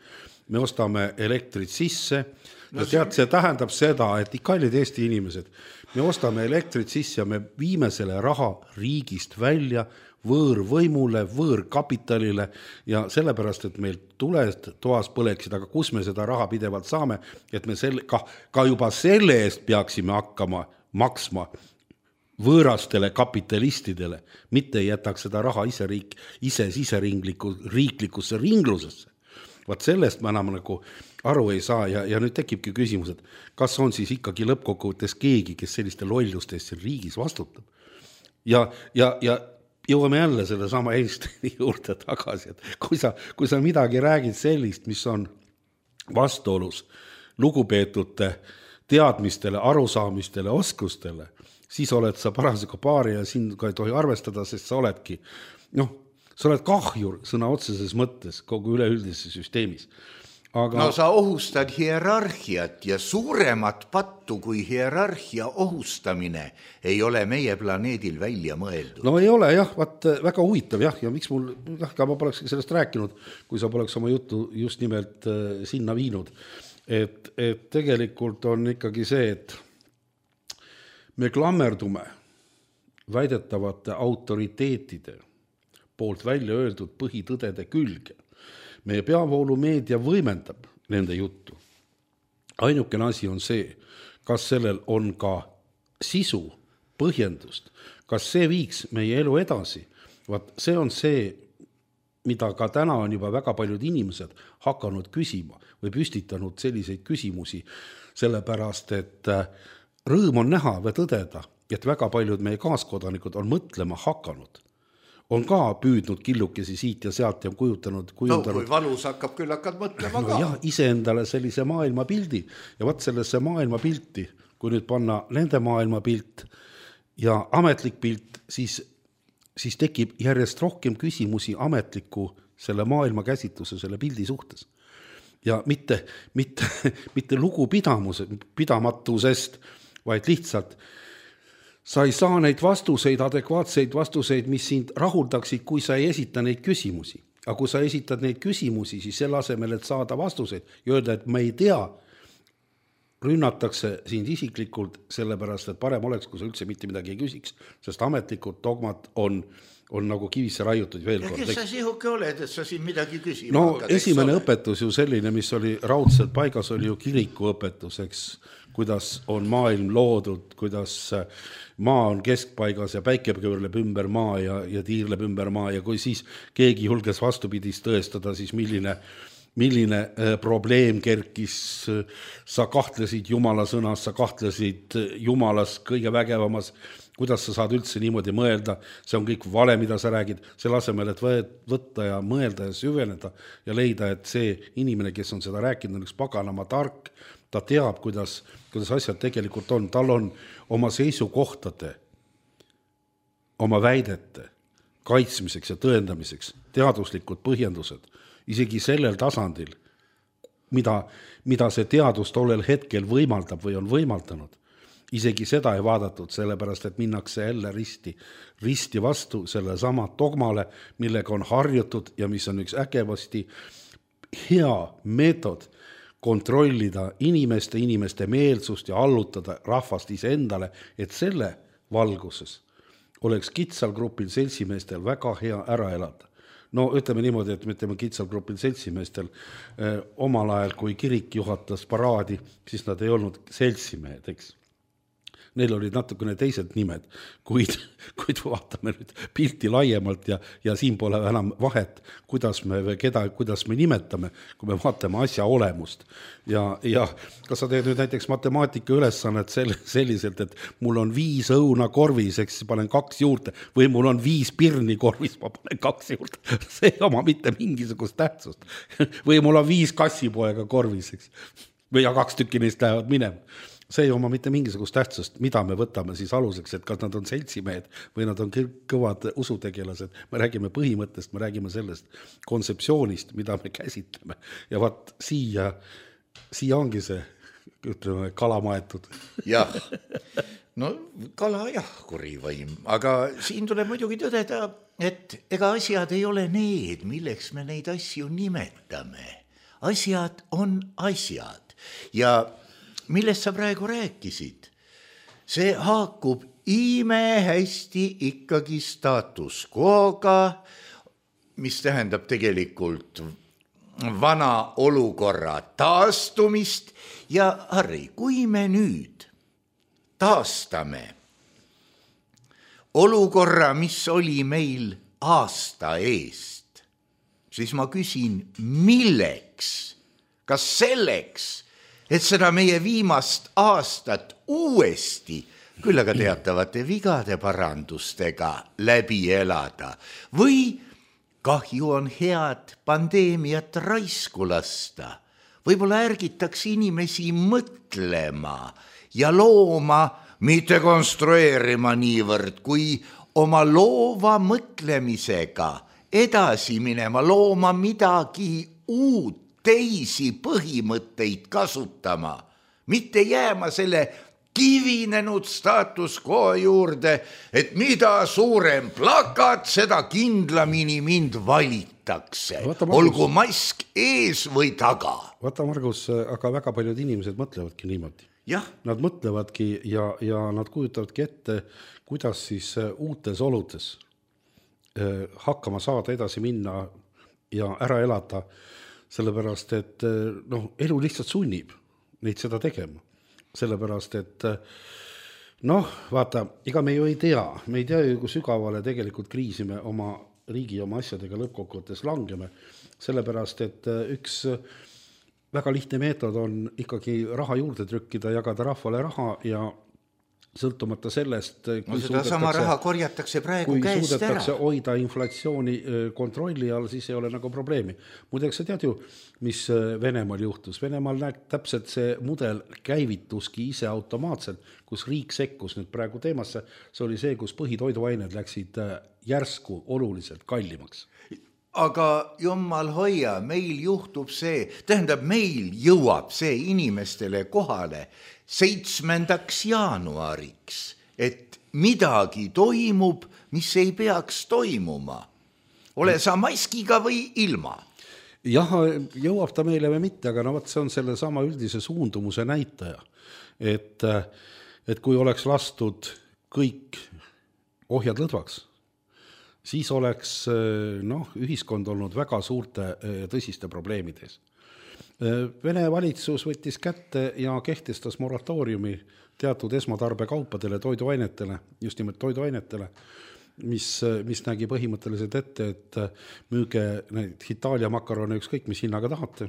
Me ostame elektrit sisse ja tead, see tähendab seda, et kallid Eesti inimesed, me ostame elektrit sisse ja me viime selle raha riigist välja võõrvõimule, võõrkapitalile ja sellepärast, et meil tuled toas põleksid, aga kus me seda raha pidevalt saame, et me selle, ka, ka juba selle eest peaksime hakkama maksma võõrastele kapitalistidele, mitte ei jätaks seda raha ise, riik, ise siseringliku, riiklikusse ringlusesse. Vaat sellest me enam nagu aru ei saa ja, ja nüüd tekibki küsimus, et kas on siis ikkagi lõppkokkuvõttes keegi, kes selliste lollustest siin riigis vastutab. Ja, ja, ja jõuame jälle selle sama Einsteini juurde tagasi, et kui sa, kui sa midagi räägid sellist, mis on vastuolus lugupeetute teadmistele, arusaamistele, oskustele, siis oled sa parasjagu paari ja sind ka ei tohi arvestada, sest sa oledki, noh, sa oled kahjur sõna otseses mõttes kogu üleüldises süsteemis. Aga... No sa ohustad hierarhiat ja suuremat pattu kui hierarhia ohustamine ei ole meie planeedil välja mõeldud. No ei ole jah, vaat väga huvitav jah, ja miks mul, jah, ka ma poleks sellest rääkinud, kui sa poleks oma juttu just nimelt äh, sinna viinud. Et, et tegelikult on ikkagi see, et me klammerdume väidetavate autoriteetide poolt välja öeldud põhitõdede külge. Meie peavoolumeedia võimendab nende juttu. Ainukene asi on see, kas sellel on ka sisu, põhjendust, kas see viiks meie elu edasi. Vaat see on see, mida ka täna on juba väga paljud inimesed hakanud küsima või püstitanud selliseid küsimusi, sellepärast, et rõõm on näha või tõdeda, et väga paljud meie kaaskodanikud on mõtlema hakanud. On ka püüdnud killukesi siit ja sealt ja kujutanud, kujutanud. No kui valus hakkab, küll hakkad mõtlema ka. No jah, iseendale sellise maailmapildi ja vaat sellesse maailmapilti, kui nüüd panna nende maailmapilt ja ametlik pilt, siis, siis tekib järjest rohkem küsimusi ametliku selle maailma käsitluse, selle pildi suhtes. Ja mitte, mitte, mitte lugupidamatusest, vaid lihtsalt sa ei saa neid vastuseid, adekvaatseid vastuseid, mis sind rahuldaksid, kui sa ei esita neid küsimusi. Aga kui sa esitad neid küsimusi, siis selle asemel, et saada vastuseid ja öelda, et ma ei tea, rünnatakse sind isiklikult sellepärast, et parem oleks, kui sa üldse mitte midagi ei küsiks, sest ametlikud dogmad on, on nagu kivisse raiutud veel kord. Ja kes sa sihuke oled, et sa siin midagi küsima no, hakkad? Esimene õpetus ju selline, mis oli raudselt paigas, oli ju kiriku õpetuseks, kuidas on maailm loodud, kuidas maa on keskpaigas ja päike pöörleb ümber maa ja, ja tiirleb ümber maa ja kui siis keegi julges vastupidist tõestada, siis milline, milline probleem kerkis, sa kahtlesid Jumala sõnas, sa kahtlesid Jumalas kõige vägevamas, kuidas sa saad üldse niimoodi mõelda, see on kõik vale, mida sa räägid, selle asemel, et võtta ja mõelda ja süveneda ja leida, et see inimene, kes on seda rääkinud, on üks paganama tark, ta teab, kuidas, kuidas asjad tegelikult on. Tal on oma seisukohtade, oma väidete kaitsmiseks ja tõendamiseks teaduslikud põhjendused, isegi sellel tasandil, mida, mida see teadus tollel hetkel võimaldab või on võimaldanud. Isegi seda ei vaadatud, sellepärast, et minnakse jälle risti, risti vastu selle sama dogmale, millega on harjutud ja mis on üks ägevasti hea meetod kontrollida inimeste, inimeste meelsust ja allutada rahvast iseendale, et selle valguses oleks kitsalgrupil seltsimeestel väga hea ära elada. No ütleme niimoodi, et ütleme kitsalgrupil seltsimeestel eh, omal ajal, kui kirik juhatas paraadi, siis nad ei olnud seltsimehed, eks. Neil olid natukene teised nimed, kuid, kuid vaatame nüüd pilti laiemalt ja, ja siin pole enam vahet, kuidas me, keda, kuidas me nimetame, kui me vaatame asja olemust. Ja, ja kas sa teed nüüd näiteks matemaatika ülesannet selliselt, et mul on viis õuna korvis, eks panen kaks juurde, või mul on viis pirni korvis, ma panen kaks juurde. See ei oma mitte mingisugust tähtsust. Või mul on viis kassipoega korvis, eks. Või ja kaks tükki neist lähevad minema. See ei oma mitte mingisugust tähtsust, mida me võtame siis aluseks, et kas nad on seltsimehed või nad on kõvad usutegelased. Me räägime põhimõttest, me räägime sellest kontseptsioonist, mida me käsitleme. Ja vaat siia, siia ongi see, ütleme, kala maetud. Jah, no kala jah, kurivõim, aga siin tuleb muidugi tõdeda, et ega asjad ei ole need, milleks me neid asju nimetame. Asjad on asjad ja millest sa praegu rääkisid, see haakub ime hästi ikkagi status quo'ga, mis tähendab tegelikult vana olukorra taastumist ja Harri, kui me nüüd taastame olukorra, mis oli meil aasta eest, siis ma küsin, milleks, kas selleks, et seda meie viimast aastat uuesti küll aga teatavate vigade parandustega läbi elada või kahju on head pandeemiat raisku lasta. Võib-olla ärgitaks inimesi mõtlema ja looma, mitte konstrueerima niivõrd, kui oma loova mõtlemisega edasi minema, looma midagi uut, teisi põhimõtteid kasutama, mitte jääma selle kivinenud status quo juurde, et mida suurem plakat, seda kindlamini mind valitakse. Olgu mask ees või taga. Vaata, Margus, aga väga paljud inimesed mõtlevadki niimoodi. Jah. Nad mõtlevadki ja, ja nad kujutavadki ette, kuidas siis uutes oludes hakkama saada, edasi minna ja ära elada, sellepärast, et noh, elu lihtsalt sunnib neid seda tegema. Sellepärast, et noh, vaata, ega me ju ei tea, me ei tea ju, kui sügavale tegelikult kriisi me oma riigi oma asjadega lõppkokkuvõttes langeme, sellepärast, et üks väga lihtne meetod on ikkagi raha juurde trükkida, jagada rahvale raha ja sõltumata sellest, kui, no seda sama raha korjatakse praegu käest ära. Kui suudetakse hoida inflatsiooni kontrolli all, siis ei ole nagu probleemi. Muideks sa tead ju, mis Venemaal juhtus. Venemaal näeb täpselt see mudel käivituski ise automaatselt, kus riik sekkus nüüd praegu teemasse. See oli see, kus põhitoiduained läksid järsku oluliselt kallimaks. Aga jummal hoia, meil juhtub see, tähendab, meil jõuab see inimestele kohale seitsmendaks jaanuariks, et midagi toimub, mis ei peaks toimuma. Ole sa maskiga või ilma? Jah, jõuab ta meile või mitte, aga no võt, see on selle sama üldise suundumuse näitaja. Et, et kui oleks lastud kõik ohjad lõdvaks, siis oleks noh, ühiskond olnud väga suurte tõsiste probleemides. Vene valitsus võttis kätte ja kehtestas moratooriumi teatud esmatarbekaupadele, toiduainetele, just nimelt toiduainetele, mis, mis nägi põhimõtteliselt ette, et müüge neid Itaalia makarone ükskõik, mis hinnaga tahate,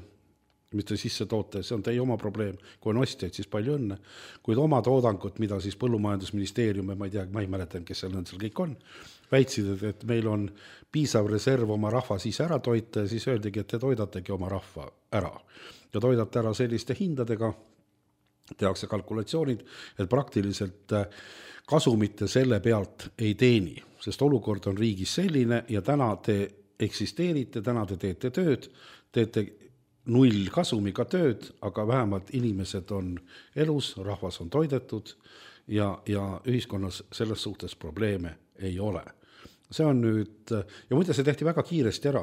mis te sisse toote, see on teie oma probleem. Kui on ostjaid, siis palju õnne. Kuid oma toodangut, mida siis põllumajandusministeerium, ma ei tea, ma ei mäletan, kes seal seal kõik on, väitsid, et meil on piisav reserv oma rahva siis ära toita ja siis öeldigi, et te toidategi oma rahva ära. Ja toidate ära selliste hindadega, tehakse kalkulatsioonid, et praktiliselt kasumite selle pealt ei teeni, sest olukord on riigis selline ja täna te eksisteerite, täna te teete tööd, teete null kasumiga tööd, aga vähemalt inimesed on elus, rahvas on toidetud ja, ja ühiskonnas selles suhtes probleeme ei ole. See on nüüd, ja muide see tehti väga kiiresti ära,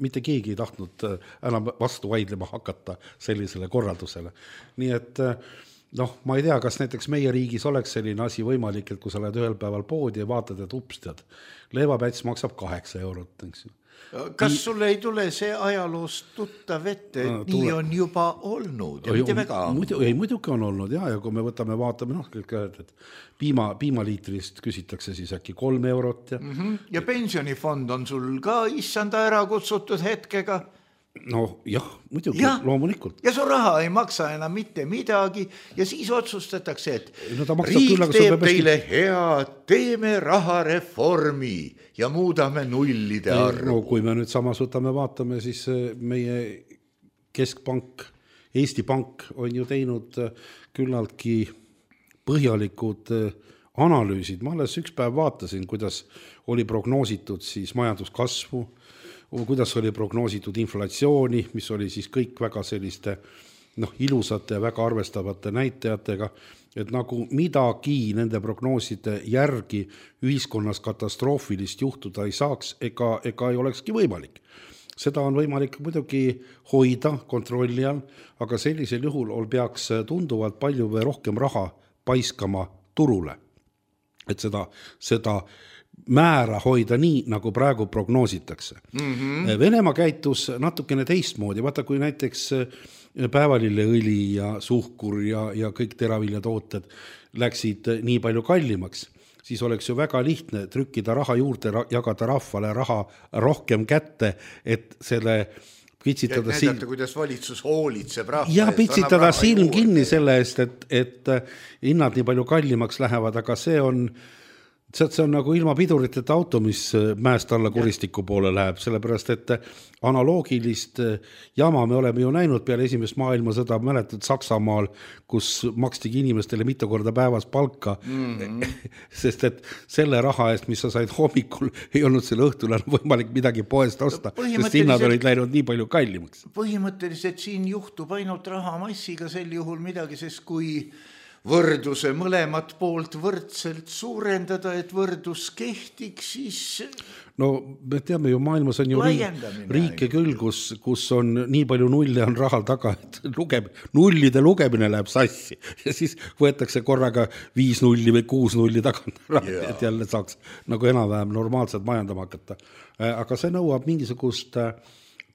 mitte keegi ei tahtnud enam vastu vaidlema hakata sellisele korraldusele. Nii et noh, ma ei tea, kas näiteks meie riigis oleks selline asi võimalik, et kui sa lähed ühel päeval poodi ja vaatad, et upstad, leivapäts maksab kaheksa eurot, eks ju. Kas sulle ei tule see ajaloost tuttav ette, et no, nii tule... on juba olnud ja mitte väga muidu, ei, muidugi on olnud ja, ja kui me võtame, vaatame, noh, et piima, piimaliitrist küsitakse siis äkki kolm eurot. Ja, mm-hmm. ja pensionifond on sul ka issanda ära kutsutud hetkega. No jah, muidugi, ja, loomulikult. Ja su raha ei maksa enam mitte midagi ja siis otsustatakse, et no, riik küll, teeb teile hea, teeme rahareformi ja muudame nullide arvu. No, kui me nüüd samas võtame, vaatame, siis meie keskpank, Eesti Pank on ju teinud küllaltki põhjalikud analüüsid. Ma alles üks päev vaatasin, kuidas oli prognoositud siis majanduskasvu, kuidas oli prognoositud inflatsiooni, mis oli siis kõik väga selliste noh, ilusate ja väga arvestavate näitajatega, et nagu midagi nende prognooside järgi ühiskonnas katastroofilist juhtuda ei saaks ega, ega ei olekski võimalik. Seda on võimalik muidugi hoida kontrolli all, aga sellisel juhul peaks tunduvalt palju või rohkem raha paiskama turule. Et seda, seda määra hoida nii, nagu praegu prognoositakse. Mm-hmm. Venemaa käitus natukene teistmoodi. Vaata, kui näiteks päevalilleõli ja suhkur ja, ja kõik teraviljatooted läksid nii palju kallimaks, siis oleks ju väga lihtne trükkida raha juurde, jagada rahvale raha rohkem kätte, et selle pitsitada et näidata, kuidas valitsus hoolitseb rahva ja pitsitada silm kinni selle eest, et, et hinnad nii palju kallimaks lähevad, aga see on see on nagu ilma piduriteta auto, mis mäest alla kuristiku poole läheb, sellepärast, et analoogilist jama me oleme ju näinud peale esimest maailmasõda, mäletad Saksamaal, kus makstigi inimestele mitu korda päevas palka, mm-hmm. sest et selle raha eest, mis sa said hommikul, ei olnud selle õhtul enam võimalik midagi poest osta, sest hinnad olid läinud nii palju kallimaks. Põhimõtteliselt siin juhtub ainult rahamassiga sel juhul midagi, sest kui võrduse mõlemat poolt võrdselt suurendada, et võrdus kehtiks, siis no me teame ju, maailmas on ju riike küll, kus, kus on nii palju nulle on rahal taga, et lugeb, nullide lugemine läheb sassi ja siis võetakse korraga viis nulli või kuus nulli tagant, et jälle saaks nagu enam-vähem normaalselt majandama hakata. Aga see nõuab mingisugust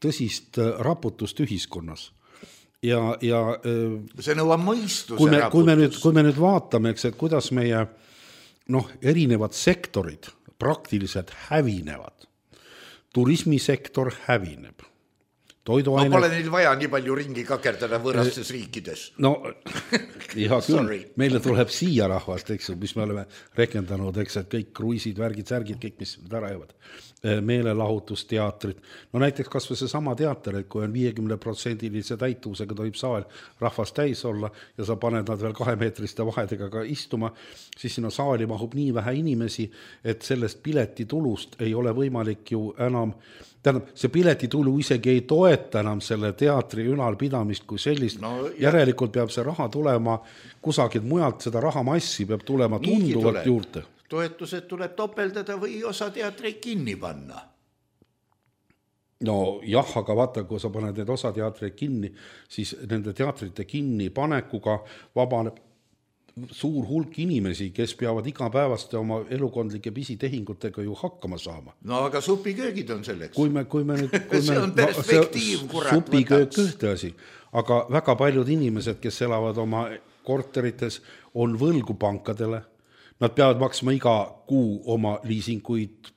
tõsist raputust ühiskonnas. Ja, ja, see nõuab mõistuse kui me, raputus. Kui me, nüüd, kui me nüüd vaatame, eks, et kuidas meie noh, erinevad sektorid praktiliselt hävinevad. Turismisektor hävineb. Toiduaine... No pole neil vaja nii palju ringi kakerdada võõrastes riikides. No, ja küll, meile tuleb siia rahvast, eks, mis me oleme rekendanud, eks, et kõik kruisid, värgid, särgid, kõik, mis ära jäävad. Meelelahutusteatrid. No näiteks kas või see sama teater, et kui on viiekümne protsendilise täituvusega tohib saal rahvast täis olla ja sa paned nad veel kahemeetriste vahedega ka istuma, siis sinna saali mahub nii vähe inimesi, et sellest piletitulust ei ole võimalik ju enam, tähendab, see piletitulu isegi ei toeta enam selle teatri ülalpidamist kui sellist. No, järelikult peab see raha tulema kusagilt mujalt, seda rahamassi peab tulema tunduvalt tuleb. Juurde. Toetused tuleb topeldada või osa teatreid kinni panna. No jah, aga vaata, kui sa paned need osa teatreid kinni, siis nende teatrite kinni panekuga vabaneb suur hulk inimesi, kes peavad igapäevaste oma elukondlike pisitehingutega ju hakkama saama. No aga supiköögid on selleks. Kui me, kui me nüüd, kui see me, on perspektiiv, kurat. Supiköök ühte asi, aga väga paljud inimesed, kes elavad oma korterites, on võlgu pankadele. Nad peavad maksma iga kuu oma liisinguid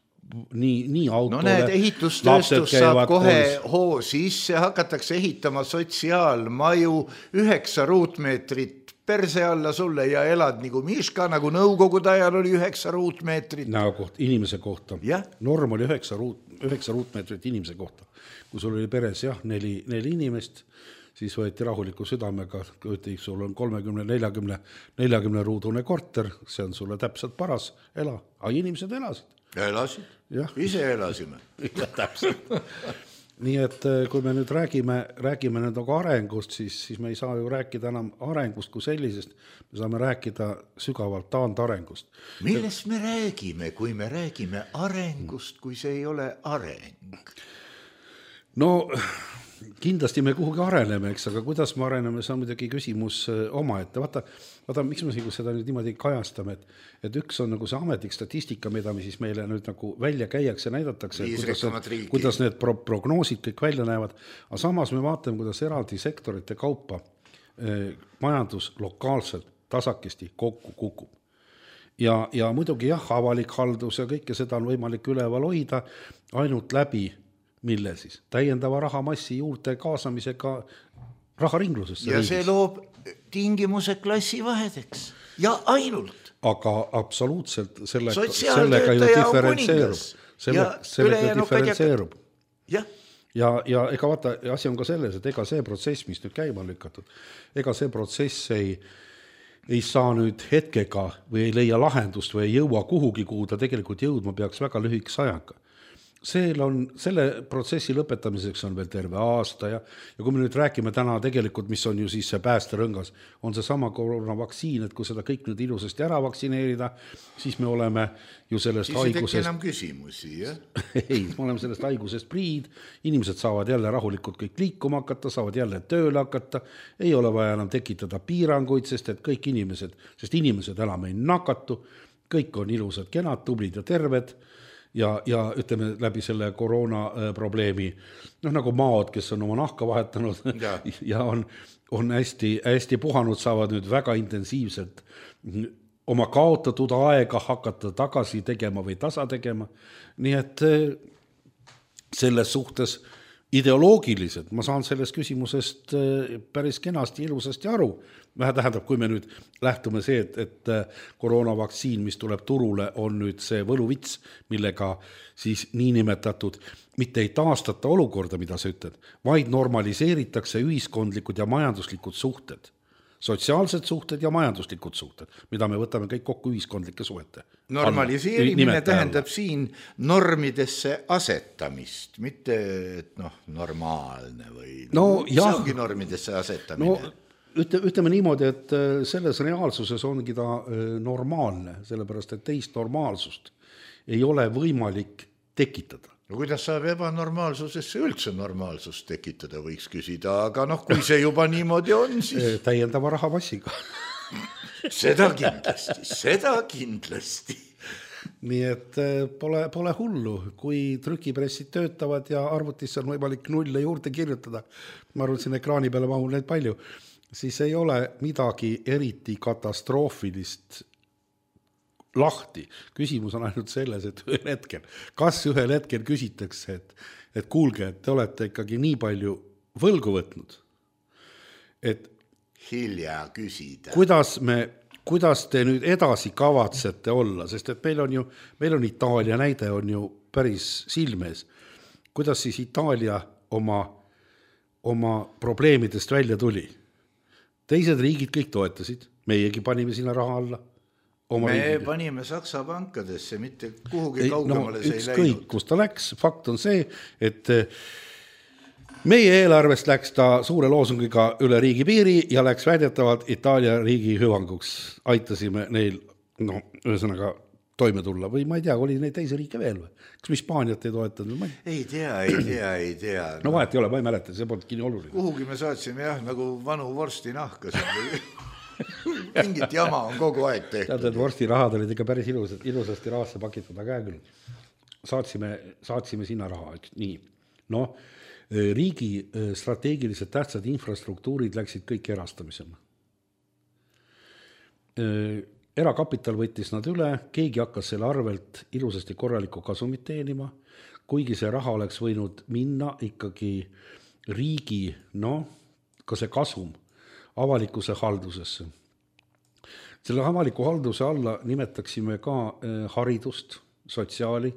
nii, nii autole. No need ehitustööstus saab kohe koolis. Hoo sisse, hakatakse ehitama sotsiaalmaju, üheksa ruutmeetrit perse alla sulle ja elad nagu Miška, nagu nõukogude ajal oli üheksa ruutmeetrit. Näokoht, inimese kohta. Ja? Norm oli üheksa, ruut, üheksa ruutmeetrit inimese kohta. Kui sul oli peres jah, neli, neli inimest, siis võeti rahuliku südamega, kui sul on kolmekümne nelikümne nelikümne ruudune korter, see on sulle täpselt paras, ela. Aga inimesed elasid. Elasid, ja. Ise elasime. Ja, täpselt. Nii et kui me nüüd räägime, räägime nüüd nagu arengust, siis, siis me ei saa ju rääkida enam arengust kui sellisest, me saame rääkida sügavalt taandarengust. Millest me räägime, kui me räägime arengust, kui see ei ole areng? No... kindlasti me kuhugi areneme, eks, aga kuidas me areneme, see on muidugi küsimus oma ette. Vaata, vaata, miks me seda nüüd niimoodi kajastame, et, et üks on nagu see ametlik statistika, mida me siis meile nüüd nagu välja käiakse, näidatakse, kuidas, kuidas need pro- prognoosid kõik välja näevad, aga samas me vaatame, kuidas eraldi sektorite kaupa eh, majandus lokaalselt tasakesti kokku kukub. Ja, ja muidugi jah, avalik haldus ja kõike seda on võimalik üleval hoida ainult läbi mille siis? Täiendava rahamassi juurde kaasamisega raharinglusesse. Ja riigis. See loob tingimuse klassivahedeks. Ja ainult. Aga absoluutselt sellega, sellega ju diferentseerub. Selle, sellega diferentseerub. Ja. Ja, ja ega vaata, asi on ka selles, et ega see protsess, mis nüüd käima lükatud, ega see protsess ei, ei saa nüüd hetkega või ei leia lahendust või ei jõua kuhugi, kuhu ta tegelikult jõudma peaks väga lühikese ajaga. seel on, selle protsessi lõpetamiseks on veel terve aasta ja, ja kui me nüüd räägime täna tegelikult, mis on ju siis see päästerõngas, on see sama koroonavaktsiin, et kui seda kõik nüüd ilusasti ära vaktsineerida, siis me oleme ju sellest siis haigusest... Siis ei enam küsimusi, jah? ei, me oleme sellest haigusest priid, inimesed saavad jälle rahulikult kõik liikuma hakata, saavad jälle tööle hakata, ei ole vaja enam tekitada piiranguid, sest et kõik inimesed, sest inimesed enam ei nakatu, kõik on ilusad, kenad, tublid ja terved, ja, ja ütleme läbi selle koroona probleemi, noh nagu maod, kes on oma nahka vahetanud ja, ja on, on hästi, hästi puhanud, saavad nüüd väga intensiivselt oma kaotatud aega hakata tagasi tegema või tasa tegema. Nii et selles suhtes ideoloogiliselt ma saan sellest küsimusest päris kenasti ilusasti aru. Vähe tähendab, kui me nüüd lähtume see, et, et koroonavaktsiin, mis tuleb turule, on nüüd see võluvits, millega siis niinimetatud mitte ei taastata olukorda, mida sa ütled, vaid normaliseeritakse ühiskondlikud ja majanduslikud suhted. Sotsiaalsed suhted ja majanduslikud suhted, mida me võtame kõik kokku ühiskondlike suhete. Normaliseerimine tähendab siin normidesse asetamist, mitte et noh, normaalne või no, mis ongi normidesse asetamine? No, ütleme niimoodi, et selles reaalsuses ongi ta normaalne, sellepärast et teist normaalsust ei ole võimalik tekitada. No kuidas saab ebanormaalsusesse üldse normaalsust tekitada, võiks küsida, aga noh, kui see juba niimoodi on, siis... Täiendava rahapassiga. Seda kindlasti, seda kindlasti. Nii et pole, pole hullu, kui trükipressid töötavad ja arvutisse on võimalik nulle juurde kirjutada, ma arvan, siin ekraani peale mahul neid palju, siis ei ole midagi eriti katastroofilist lahti. Küsimus on ainult selles, et ühel hetkel, kas ühel hetkel küsitakse, et, et kuulge, et te olete ikkagi nii palju võlgu võtnud, et hilja küsida. Kuidas me, kuidas te nüüd edasi kavatsete olla, sest et meil on ju, meil on Itaalia näide on ju päris silmes. Kuidas siis Itaalia oma, oma probleemidest välja tuli? Teised riigid kõik toetasid, meiegi panime sinna raha alla. Me riigid. Panime Saksa pankadesse, mitte kuhugi ei, kaugemale no, see ei läinud. Kõik, kus ta läks, fakt on see, et meie eelarvest läks ta suure loosungiga üle riigi piiri ja läks väidetavalt Itaalia riigi hüvanguks. Aitasime neil, no, ühesõnaga toime tulla või ma ei tea, oli neid teisi riike veel või? Kas me Hispaaniat ei toetanud? Ei tea, ei tea, ei tea. No, no vahet ei ole, ma ei mäleta, see polnud kinni oluline. Kuhugi me saatsime jah, nagu vanu vorsti nahka. Mingit jama on kogu aeg tehtud. Tead, et vorsti rahad olid ikka päris ilusad, ilusasti rahasse pakitud, aga küll. Saatsime, saatsime sinna raha, eks nii. No, riigi strateegiliselt tähtsad infrastruktuurid läksid kõik erastamisena. Erakapital võttis nad üle, keegi hakkas selle arvelt ilusasti korralikku kasumit teenima, kuigi see raha oleks võinud minna ikkagi riigi, no, ka see kasum avalikuse haldusesse. Selle avaliku halduse alla nimetaksime ka haridust, sotsiaali,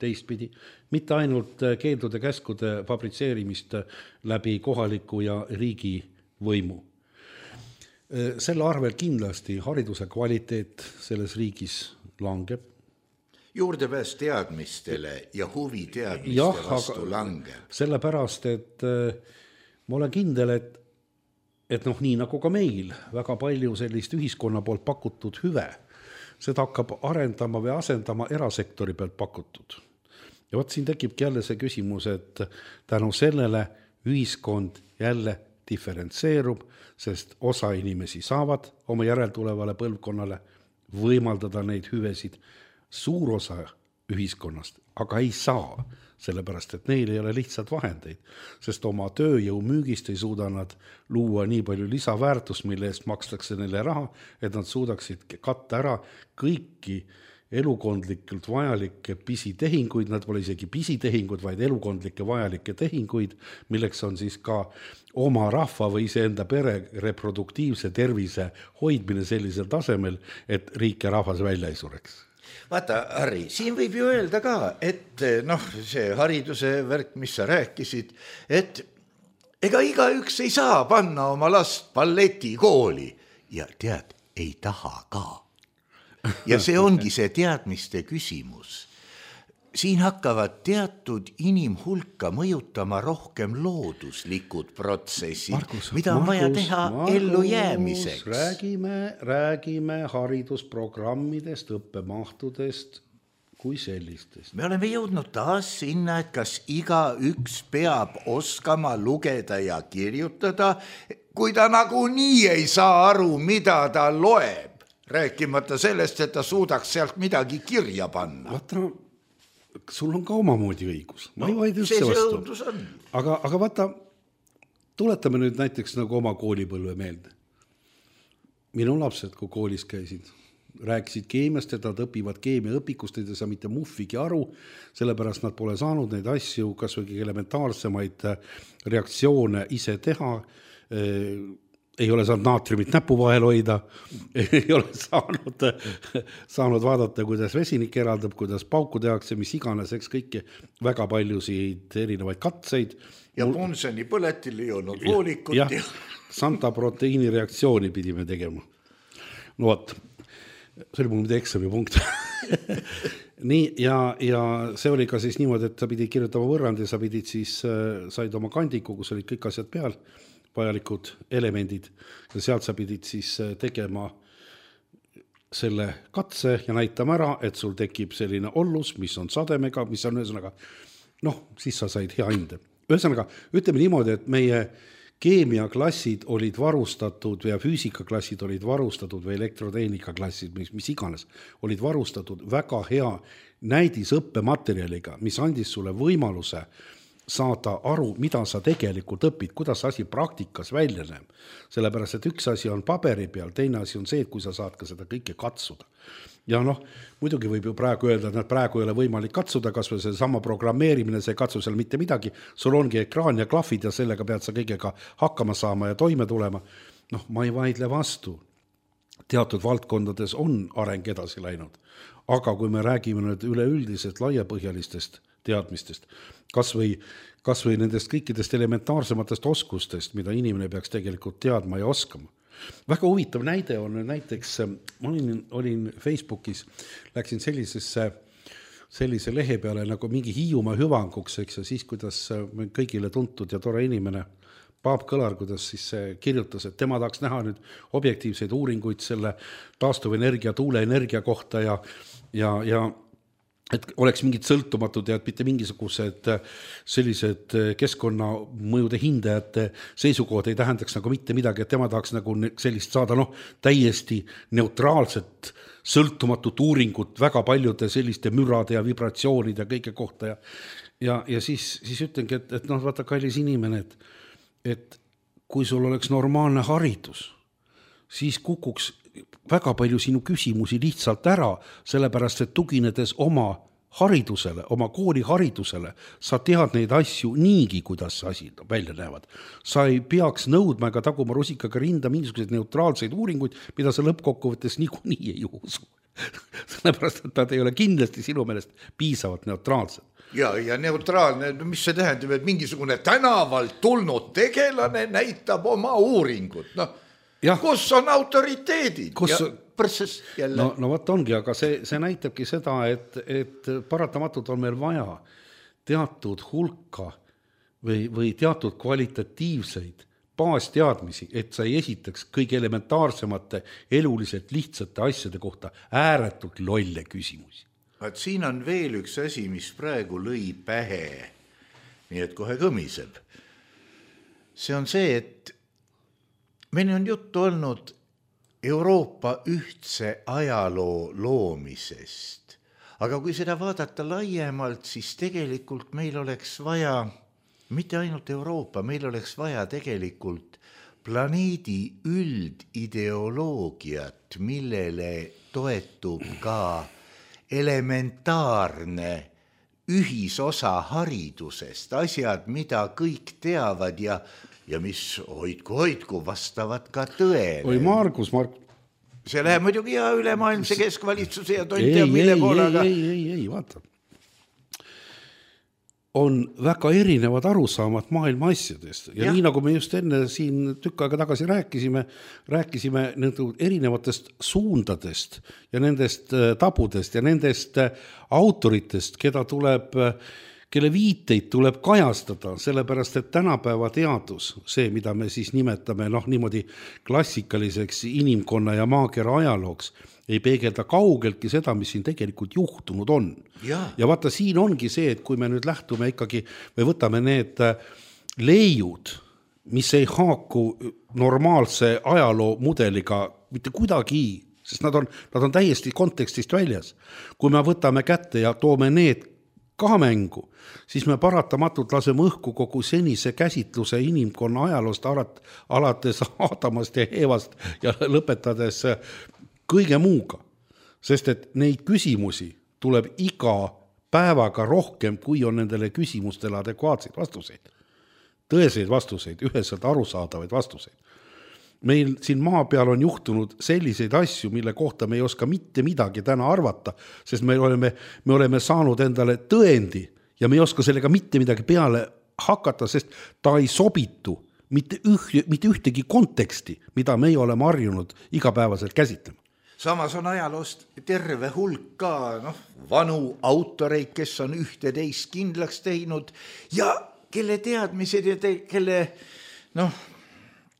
teistpidi, mitte ainult keeldude käskude fabritseerimist läbi kohaliku ja riigi võimu. Selle arvel kindlasti hariduse kvaliteet selles riigis langeb. Juurdepääs teadmistele ja huvi teadmiste jah, vastu langeb. Sellepärast, et ma olen kindel, et, et noh, nii nagu ka meil, väga palju sellist ühiskonna poolt pakutud hüve, seda hakkab arendama või asendama erasektori pealt pakutud. Ja võt siin tekibki jälle see küsimus, et tänu sellele ühiskond jälle diferentseerub, sest osa inimesi saavad oma järeltulevale põlvkonnale võimaldada neid hüvesid, suur osa ühiskonnast, aga ei saa, sellepärast et neil ei ole lihtsalt vahendeid, sest oma tööjõu müügist ei suuda nad luua nii palju lisaväärtust, mille eest makstakse neile raha, et nad suudaksid katta ära kõiki elukondlikult vajalikke pisitehinguid, nad pole isegi pisitehingud, vaid elukondlikke vajalikke tehinguid, milleks on siis ka oma rahva või iseenda pere reproduktiivse tervise hoidmine sellisel tasemel, et riik ja rahvas välja ei sureks. Vaata, Harri, siin võib ju öelda ka, et noh, see hariduse värk, mis sa rääkisid, et ega igaüks ei saa panna oma last balletikooli ja tead, ei taha ka. Ja see ongi see teadmiste küsimus. siin hakkavad teatud inimhulka mõjutama rohkem looduslikud protsessid, Markus, mida on Markus, vaja teha Markus, ellu jäämiseks. Räägime, räägime haridusprogrammidest, õppemahtudest kui sellistest. Me oleme jõudnud taas sinna, et kas iga üks peab oskama lugeda ja kirjutada, kui ta nagu nii ei saa aru, mida ta loeb, rääkimata sellest, et ta suudaks sealt midagi kirja panna. Vaata, sul on ka omamoodi õigus. Ma no, ei vaid üldse vastu. Aga, aga vaata, tuletame nüüd näiteks nagu oma koolipõlve meelde. Minu lapsed, kui koolis käisid, rääkisid keemiast, et nad õpivad keemia õpikust, ei saa mitte muffigi aru, sellepärast nad pole saanud neid asju, kas või elementaarsemaid reaktsioone ise teha, ei ole saanud naatriumit näpu vahel hoida, ei ole saanud, saanud vaadata, kuidas vesinik eraldab, kuidas pauku tehakse, mis iganes, eks kõiki väga paljusid erinevaid katseid. Ja Bunsen'i põletil ei olnud voolikut. Ja, ja Santa proteiini reaktsiooni pidime tegema. No võt, see oli mul mida eksami punkt. Nii, ja, ja see oli ka siis niimoodi, et sa pidid kirjutama võrrandi, sa pidid siis, said oma kandiku, kus olid kõik asjad peal, vajalikud elemendid ja sealt sa pidid siis tegema selle katse ja näitama ära, et sul tekib selline ollus, mis on sademega, mis on ühesõnaga, noh, siis sa said hea hinde. Ühesõnaga, ütleme niimoodi, et meie keemiaklassid olid varustatud ja füüsikaklassid olid varustatud või elektrotehnikaklassid, mis, mis iganes, olid varustatud väga hea näidisõppematerjaliga, mis andis sulle võimaluse saada aru, mida sa tegelikult õpid, kuidas asi praktikas välja näeb. Sellepärast, et üks asi on paberi peal, teine asi on see, et kui sa saad ka seda kõike katsuda. Ja noh, muidugi võib ju praegu öelda, et praegu ei ole võimalik katsuda, kas või see sama programmeerimine, see katsu seal mitte midagi, sul ongi ekraan ja klahvid ja sellega pead sa kõigega hakkama saama ja toime tulema. Noh, ma ei vaidle vastu. Teatud valdkondades on areng edasi läinud. Aga kui me räägime nüüd üleüldiselt laiapõhjalistest teadmistest, kas või, kas või nendest kõikidest elementaarsematest oskustest, mida inimene peaks tegelikult teadma ja oskama. Väga huvitav näide on näiteks, ma olin, olin Facebookis, läksin sellisesse, sellise lehe peale nagu mingi Hiiumaa hüvanguks, eks, ja siis, kuidas kõigile tuntud ja tore inimene Paap Kõlar, kuidas siis kirjutas, et tema tahaks näha nüüd objektiivseid uuringuid selle taastuvenergia, tuuleenergia kohta ja, ja, ja et oleks mingid sõltumatud ja et mitte mingisugused sellised keskkonnamõjude hindajate seisukohad ei tähendaks nagu mitte midagi, et tema tahaks nagu sellist saada noh, täiesti neutraalset, sõltumatut uuringut väga paljude selliste mürade ja vibratsioonide ja kõige kohta ja, ja, ja siis, siis ütlengi, et, et noh, vaata kallis inimene, et, et kui sul oleks normaalne haridus, siis kukuks väga palju sinu küsimusi lihtsalt ära, sellepärast, et tuginedes oma haridusele, oma kooli haridusele, sa tead neid asju niigi, kuidas sa asi välja näevad. Sa ei peaks nõudma ega taguma rusikaga rinda mingisuguseid neutraalseid uuringuid, mida sa lõppkokkuvõttes niikuinii ei usu. Sellepärast, et nad ei ole kindlasti sinu meelest piisavalt neutraalsed. Ja, ja neutraalne, mis see tähendab, et mingisugune tänavalt tulnud tegelane näitab oma uuringut, noh, ja. Kus on autoriteedid? Kus... Ja prõsses jälle. No, no võt ongi, aga see, see näitabki seda, et, et paratamatult on meil vaja teatud hulka või, või teatud kvalitatiivseid baasteadmisi, et sa ei esitaks kõige elementaarsemate eluliselt lihtsate asjade kohta ääretult lolle küsimusi. Vaat siin on veel üks asi, mis praegu lõi pähe, nii et kohe kõmiseb. See on see, et meil on juttu olnud Euroopa ühtse ajaloo loomisest, aga kui seda vaadata laiemalt, siis tegelikult meil oleks vaja, mitte ainult Euroopa, meil oleks vaja tegelikult planeedi üldideoloogiat, millele toetub ka elementaarne ühisosa haridusest, asjad, mida kõik teavad ja ja mis hoidku, hoidku vastavad ka tõele. Oi Margus, Mark. See läheb muidugi ja ülemaailmse keskvalitsuse ja tonti ja mille poolaga. Ei, ei, ei, ei, vaata. on väga erinevad arusaamad maailma asjadest ja, ja nii nagu me just enne siin tükk aega tagasi rääkisime, rääkisime nende erinevatest suundadest ja nendest tabudest ja nendest autoritest, keda tuleb, kelle viiteid tuleb kajastada, sellepärast et tänapäeva teadus, see, mida me siis nimetame noh, niimoodi klassikaliseks inimkonna ja maakera ajalooks, ei peegelda kaugeltki seda, mis siin tegelikult juhtunud on. Ja. ja vaata, siin ongi see, et kui me nüüd lähtume ikkagi või võtame need leiud, mis ei haaku normaalse ajaloo mudeliga mitte kuidagi, sest nad on, nad on täiesti kontekstist väljas. Kui me võtame kätte ja toome need ka mängu, siis me paratamatult laseme õhku kogu senise käsitluse inimkonna ajaloost alates Aadamast ja Eevast ja lõpetades kõige muuga, sest et neid küsimusi tuleb iga päevaga rohkem, kui on nendele küsimustele adekvaatseid vastuseid. Tõeseid vastuseid, üheselt arusaadavaid vastuseid. Meil siin maa peal on juhtunud selliseid asju, mille kohta me ei oska mitte midagi täna arvata, sest me oleme, me oleme saanud endale tõendi ja me ei oska sellega mitte midagi peale hakata, sest ta ei sobitu mitte, üh, mitte ühtegi konteksti, mida me ei oleme harjunud igapäevaselt käsitlema. Samas on ajaloost terve hulk ka noh, vanu autoreid, kes on ühte teist kindlaks teinud ja kelle teadmised ja te, kelle noh,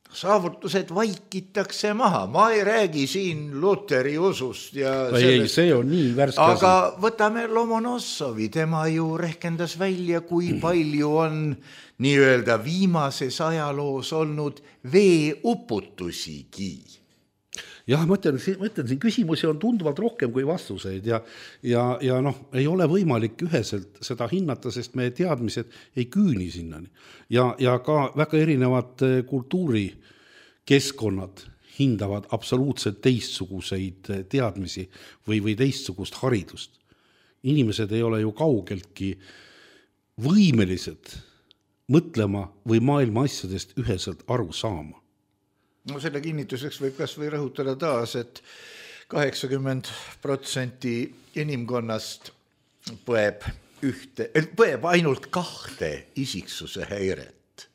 saavutused vaikitakse maha. Ma ei räägi siin Luteri usust. Ja ei, sellest, see on nii värske. Aga võtame Lomonossovi, tema ju rehkendas välja, kui palju on nii-öelda viimases ajaloos olnud veeuputusigi. Jah, ma ütlen, ma ütlen, siin küsimusi on tunduvalt rohkem kui vastuseid ja, ja, ja noh, ei ole võimalik üheselt seda hinnata, sest meie teadmised ei küüni sinnani. Ja, ja ka väga erinevad kultuurikeskkonnad hindavad absoluutselt teistsuguseid teadmisi või, või teistsugust haridust. Inimesed ei ole ju kaugeltki võimelised mõtlema või maailma asjadest üheselt aru saama. No selle kinnituseks võib kas või rõhutada taas, et kaheksakümmend protsenti inimkonnast põeb, ühte, põeb ainult kahte isiksuse häiret.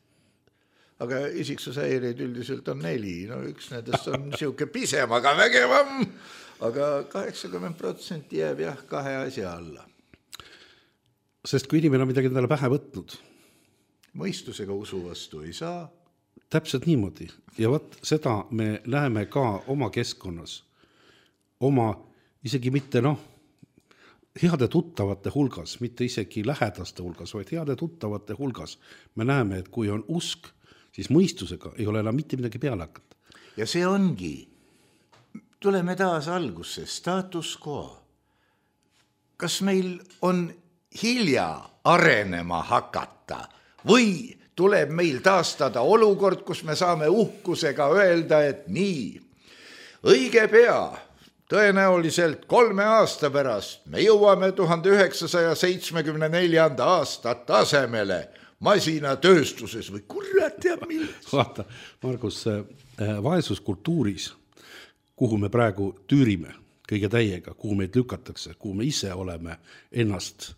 Aga isiksuse häireid üldiselt on neli, no üks nendest on siuke pisem, aga vägevam, aga kaheksakümmend protsenti jääb jah kahe asja alla. Sest kui inimene on midagi endale pähe võtnud, mõistusega usu vastu ei saa. Täpselt niimoodi. Ja võt, seda me näeme ka oma keskkonnas, oma isegi mitte noh, heade tuttavate hulgas, mitte isegi lähedaste hulgas, vaid heade tuttavate hulgas. Me näeme, et kui on usk, siis mõistusega ei ole enam mitte midagi peale hakata. Ja see ongi, tuleme taas algusse, status quo. Kas meil on hilja arenema hakata või tuleb meil taastada olukord, kus me saame uhkusega öelda, et nii, õige pea, tõenäoliselt kolme aasta pärast me jõuame tuhande üheksasaja seitsmekümne neljanda aasta tasemele masinatööstuses või kurat teab milles. Vaata, Margus, vaesuskultuuris, kuhu me praegu tüürime kõige täiega, kuhu meid lükatakse, kuhu me ise oleme ennast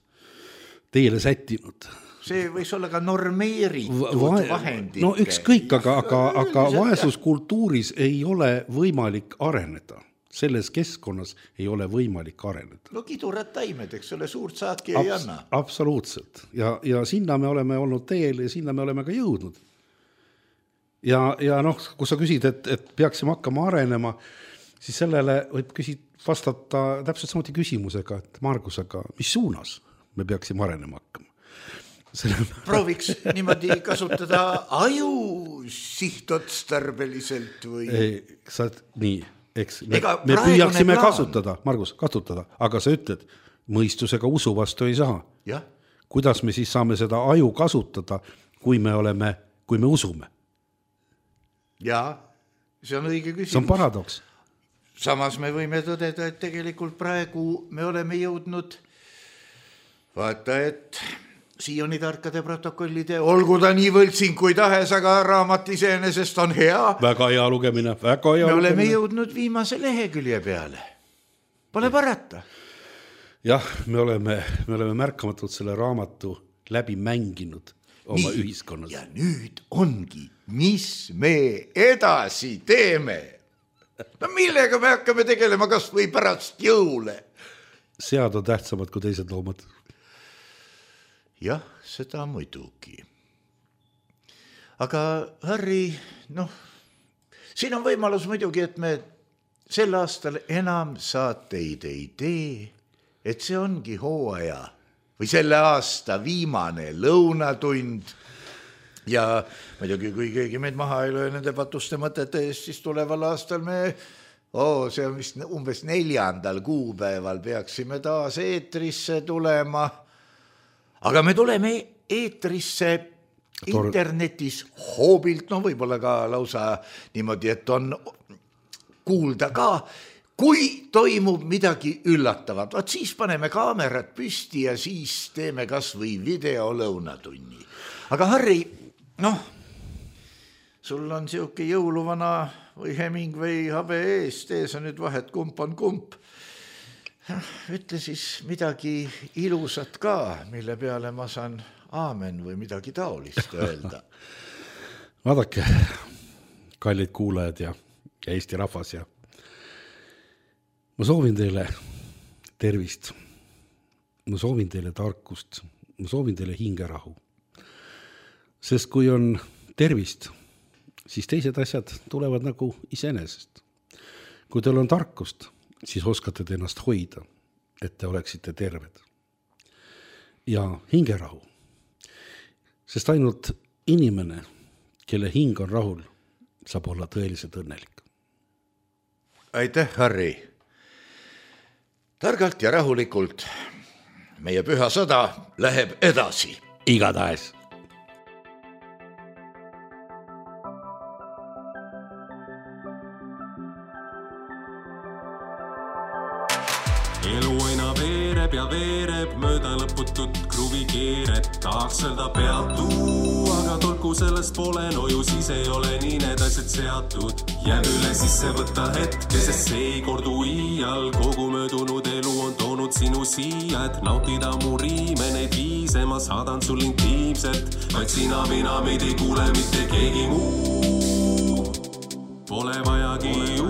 teele sättinud, see võis olla ka normeeritud Va- vahendike. No ükskõik, aga, aga, aga vaesuskultuuris ei ole võimalik areneda. Selles keskkonnas ei ole võimalik areneda. No kidurad taimed, eks ole, suurt saaki Abs- ei anna. Absoluutselt. Ja, ja sinna me oleme olnud teel ja sinna me oleme ka jõudnud. Ja, ja noh, kui sa küsid, et, et peaksime hakkama arenema, siis sellele võib küsid, vastata täpselt samuti küsimusega, et Margus, aga mis suunas me peaksime arenema hakkama? Prooviks niimoodi kasutada aju sihtotstarbeliselt või? Ei, sa, nii, eks me, me püüaksime plaan. kasutada, Margus, kasutada, aga sa ütled, mõistusega usu vastu ei saa. Ja? Kuidas me siis saame seda aju kasutada, kui me oleme, kui me usume? Jaa, see on õige küsimus. See on paradoks. Samas me võime tõdeda, et tegelikult praegu me oleme jõudnud vaata, et Sioni tarkade protokollide, olgu ta nii võltsing kui tahes, aga raamat iseenesest on hea. Väga hea lugemine, väga hea me lugemine. oleme jõudnud viimase lehekülje peale. Pole parata. Jah, me oleme, me oleme märkamatult selle raamatu läbi mänginud oma Nii, ühiskonnas. Ja nüüd ongi, mis me edasi teeme. No millega me hakkame tegelema kas või pärast jõule? Sead on tähtsamad kui teised loomad. Jah, seda muidugi. Aga Harri, noh, siin on võimalus muidugi, et me sel aastal enam saateid ei tee, et see ongi hooaja või selle aasta viimane lõunatund ja muidugi, kui keegi meid maha ei löö nende patuste mõtete eest, siis tuleval aastal me, oh, see on vist umbes neljandal kuupäeval peaksime taas eetrisse tulema, aga me tuleme eetrisse internetis hoobilt, no võib-olla ka lausa niimoodi, et on kuulda ka, kui toimub midagi üllatavat. Vaat siis paneme kaamerad püsti ja siis teeme kas või video lõunatunni. Aga Harri, noh, sul on siuke jõuluvana või Hemingway habe eest, ees on nüüd vahet, kump on kump. Ütle siis midagi ilusat ka, mille peale ma saan aamen või midagi taolist öelda. Vaadake, kallid kuulajad ja ja Eesti rahvas ja ma soovin teile tervist, ma soovin teile tarkust, ma soovin teile hingerahu. Sest kui on tervist, siis teised asjad tulevad nagu iseenesest. Kui teil on tarkust, siis oskate te ennast hoida, et te oleksite terved. Ja hingerahu. Sest ainult inimene, kelle hing on rahul, saab olla tõeliselt õnnelik. Aitäh, Harri. Targalt ja rahulikult meie püha sõda läheb edasi. Igatahes. Elu aina veereb ja veereb mööda lõputut kruvikeeret. Tahaks öelda peatu, aga tolku sellest pole, no ju siis ei ole nii need asjad seatud. Jääb üle sisse võtta hetke, sest see ei kordu iial. Kogu möödunud elu on toonud sinu siia, et nautida mu riime, neid viise ma saadan sul intiimselt. Vaid sina, mina, meid ei kuule mitte keegi muu. Pole vajagi ju.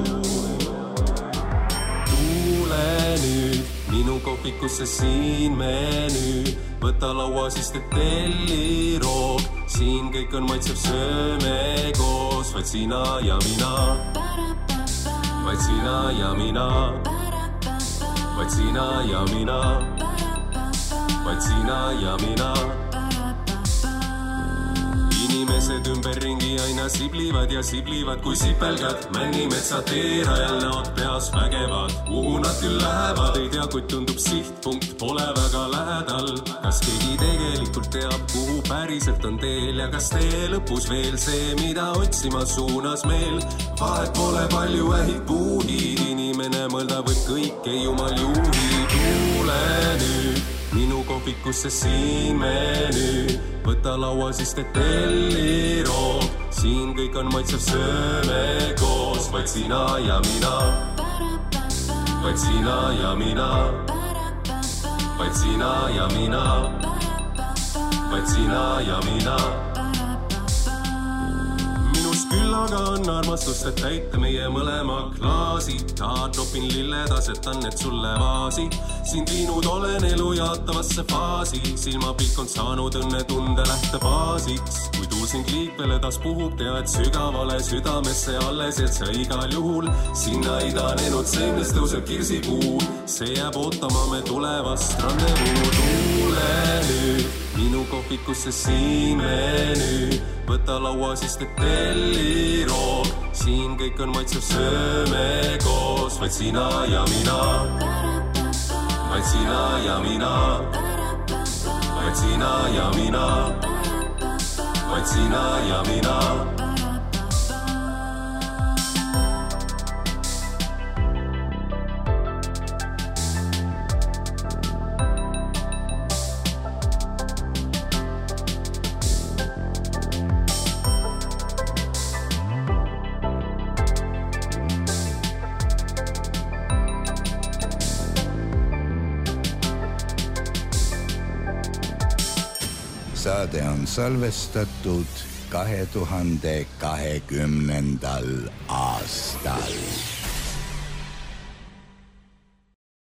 Nüüd minu kohvikusse siin menüü, võta laua siis te telli roog, siin kõik on maitsev sööme koos, vaid sina ja mina, vaid sina ja mina, vaid sina ja mina, vaid sina ja mina. Inimesed ümberringi aina siblivad ja siblivad kui sipelgad. Männimetsa teerajal näod peas vägevad. Kuhu nad küll lähevad, ei tea, kuid tundub sihtpunkt pole väga lähedal. Kas keegi tegelikult teab, kuhu päriselt on teel ja kas tee lõpus veel see, mida otsima suunas meel. Vahet pole palju ähid puudid, inimene mõelda võib kõike, jumal juhi. Tuule nüüd minu kohvikusse siin menüü, võta laua siis te telli roog, siin kõik on maitsev sööme koos, vaid sina ja mina, vaid sina ja mina, vaid sina ja mina, vaid sina ja mina. Küllaga on armastust, et täita meie mõlema klaasi. Tahad topin lilled, asetan need sulle vaasi. Sind viinud olen elu jaatavasse faasi. Silmapilk on saanud õnne tunde lähtebaasiks. Kui tuul sind liikvele taas puhub, tea, et sügavale südamesse alles, et sa igal juhul sinna idanenud seemnes tõuseb kirsipuu. See jääb ootama me tulevast randevuu. Tuule nüüd minu kohvikusse siin menüü, võta laua siis te telli roog, siin kõik on maitsev sööme koos, vaid sina ja mina, vaid sina ja mina, vaid sina ja mina, vaid sina ja mina. saade on salvestatud kahe tuhande kahekümnendal aastal.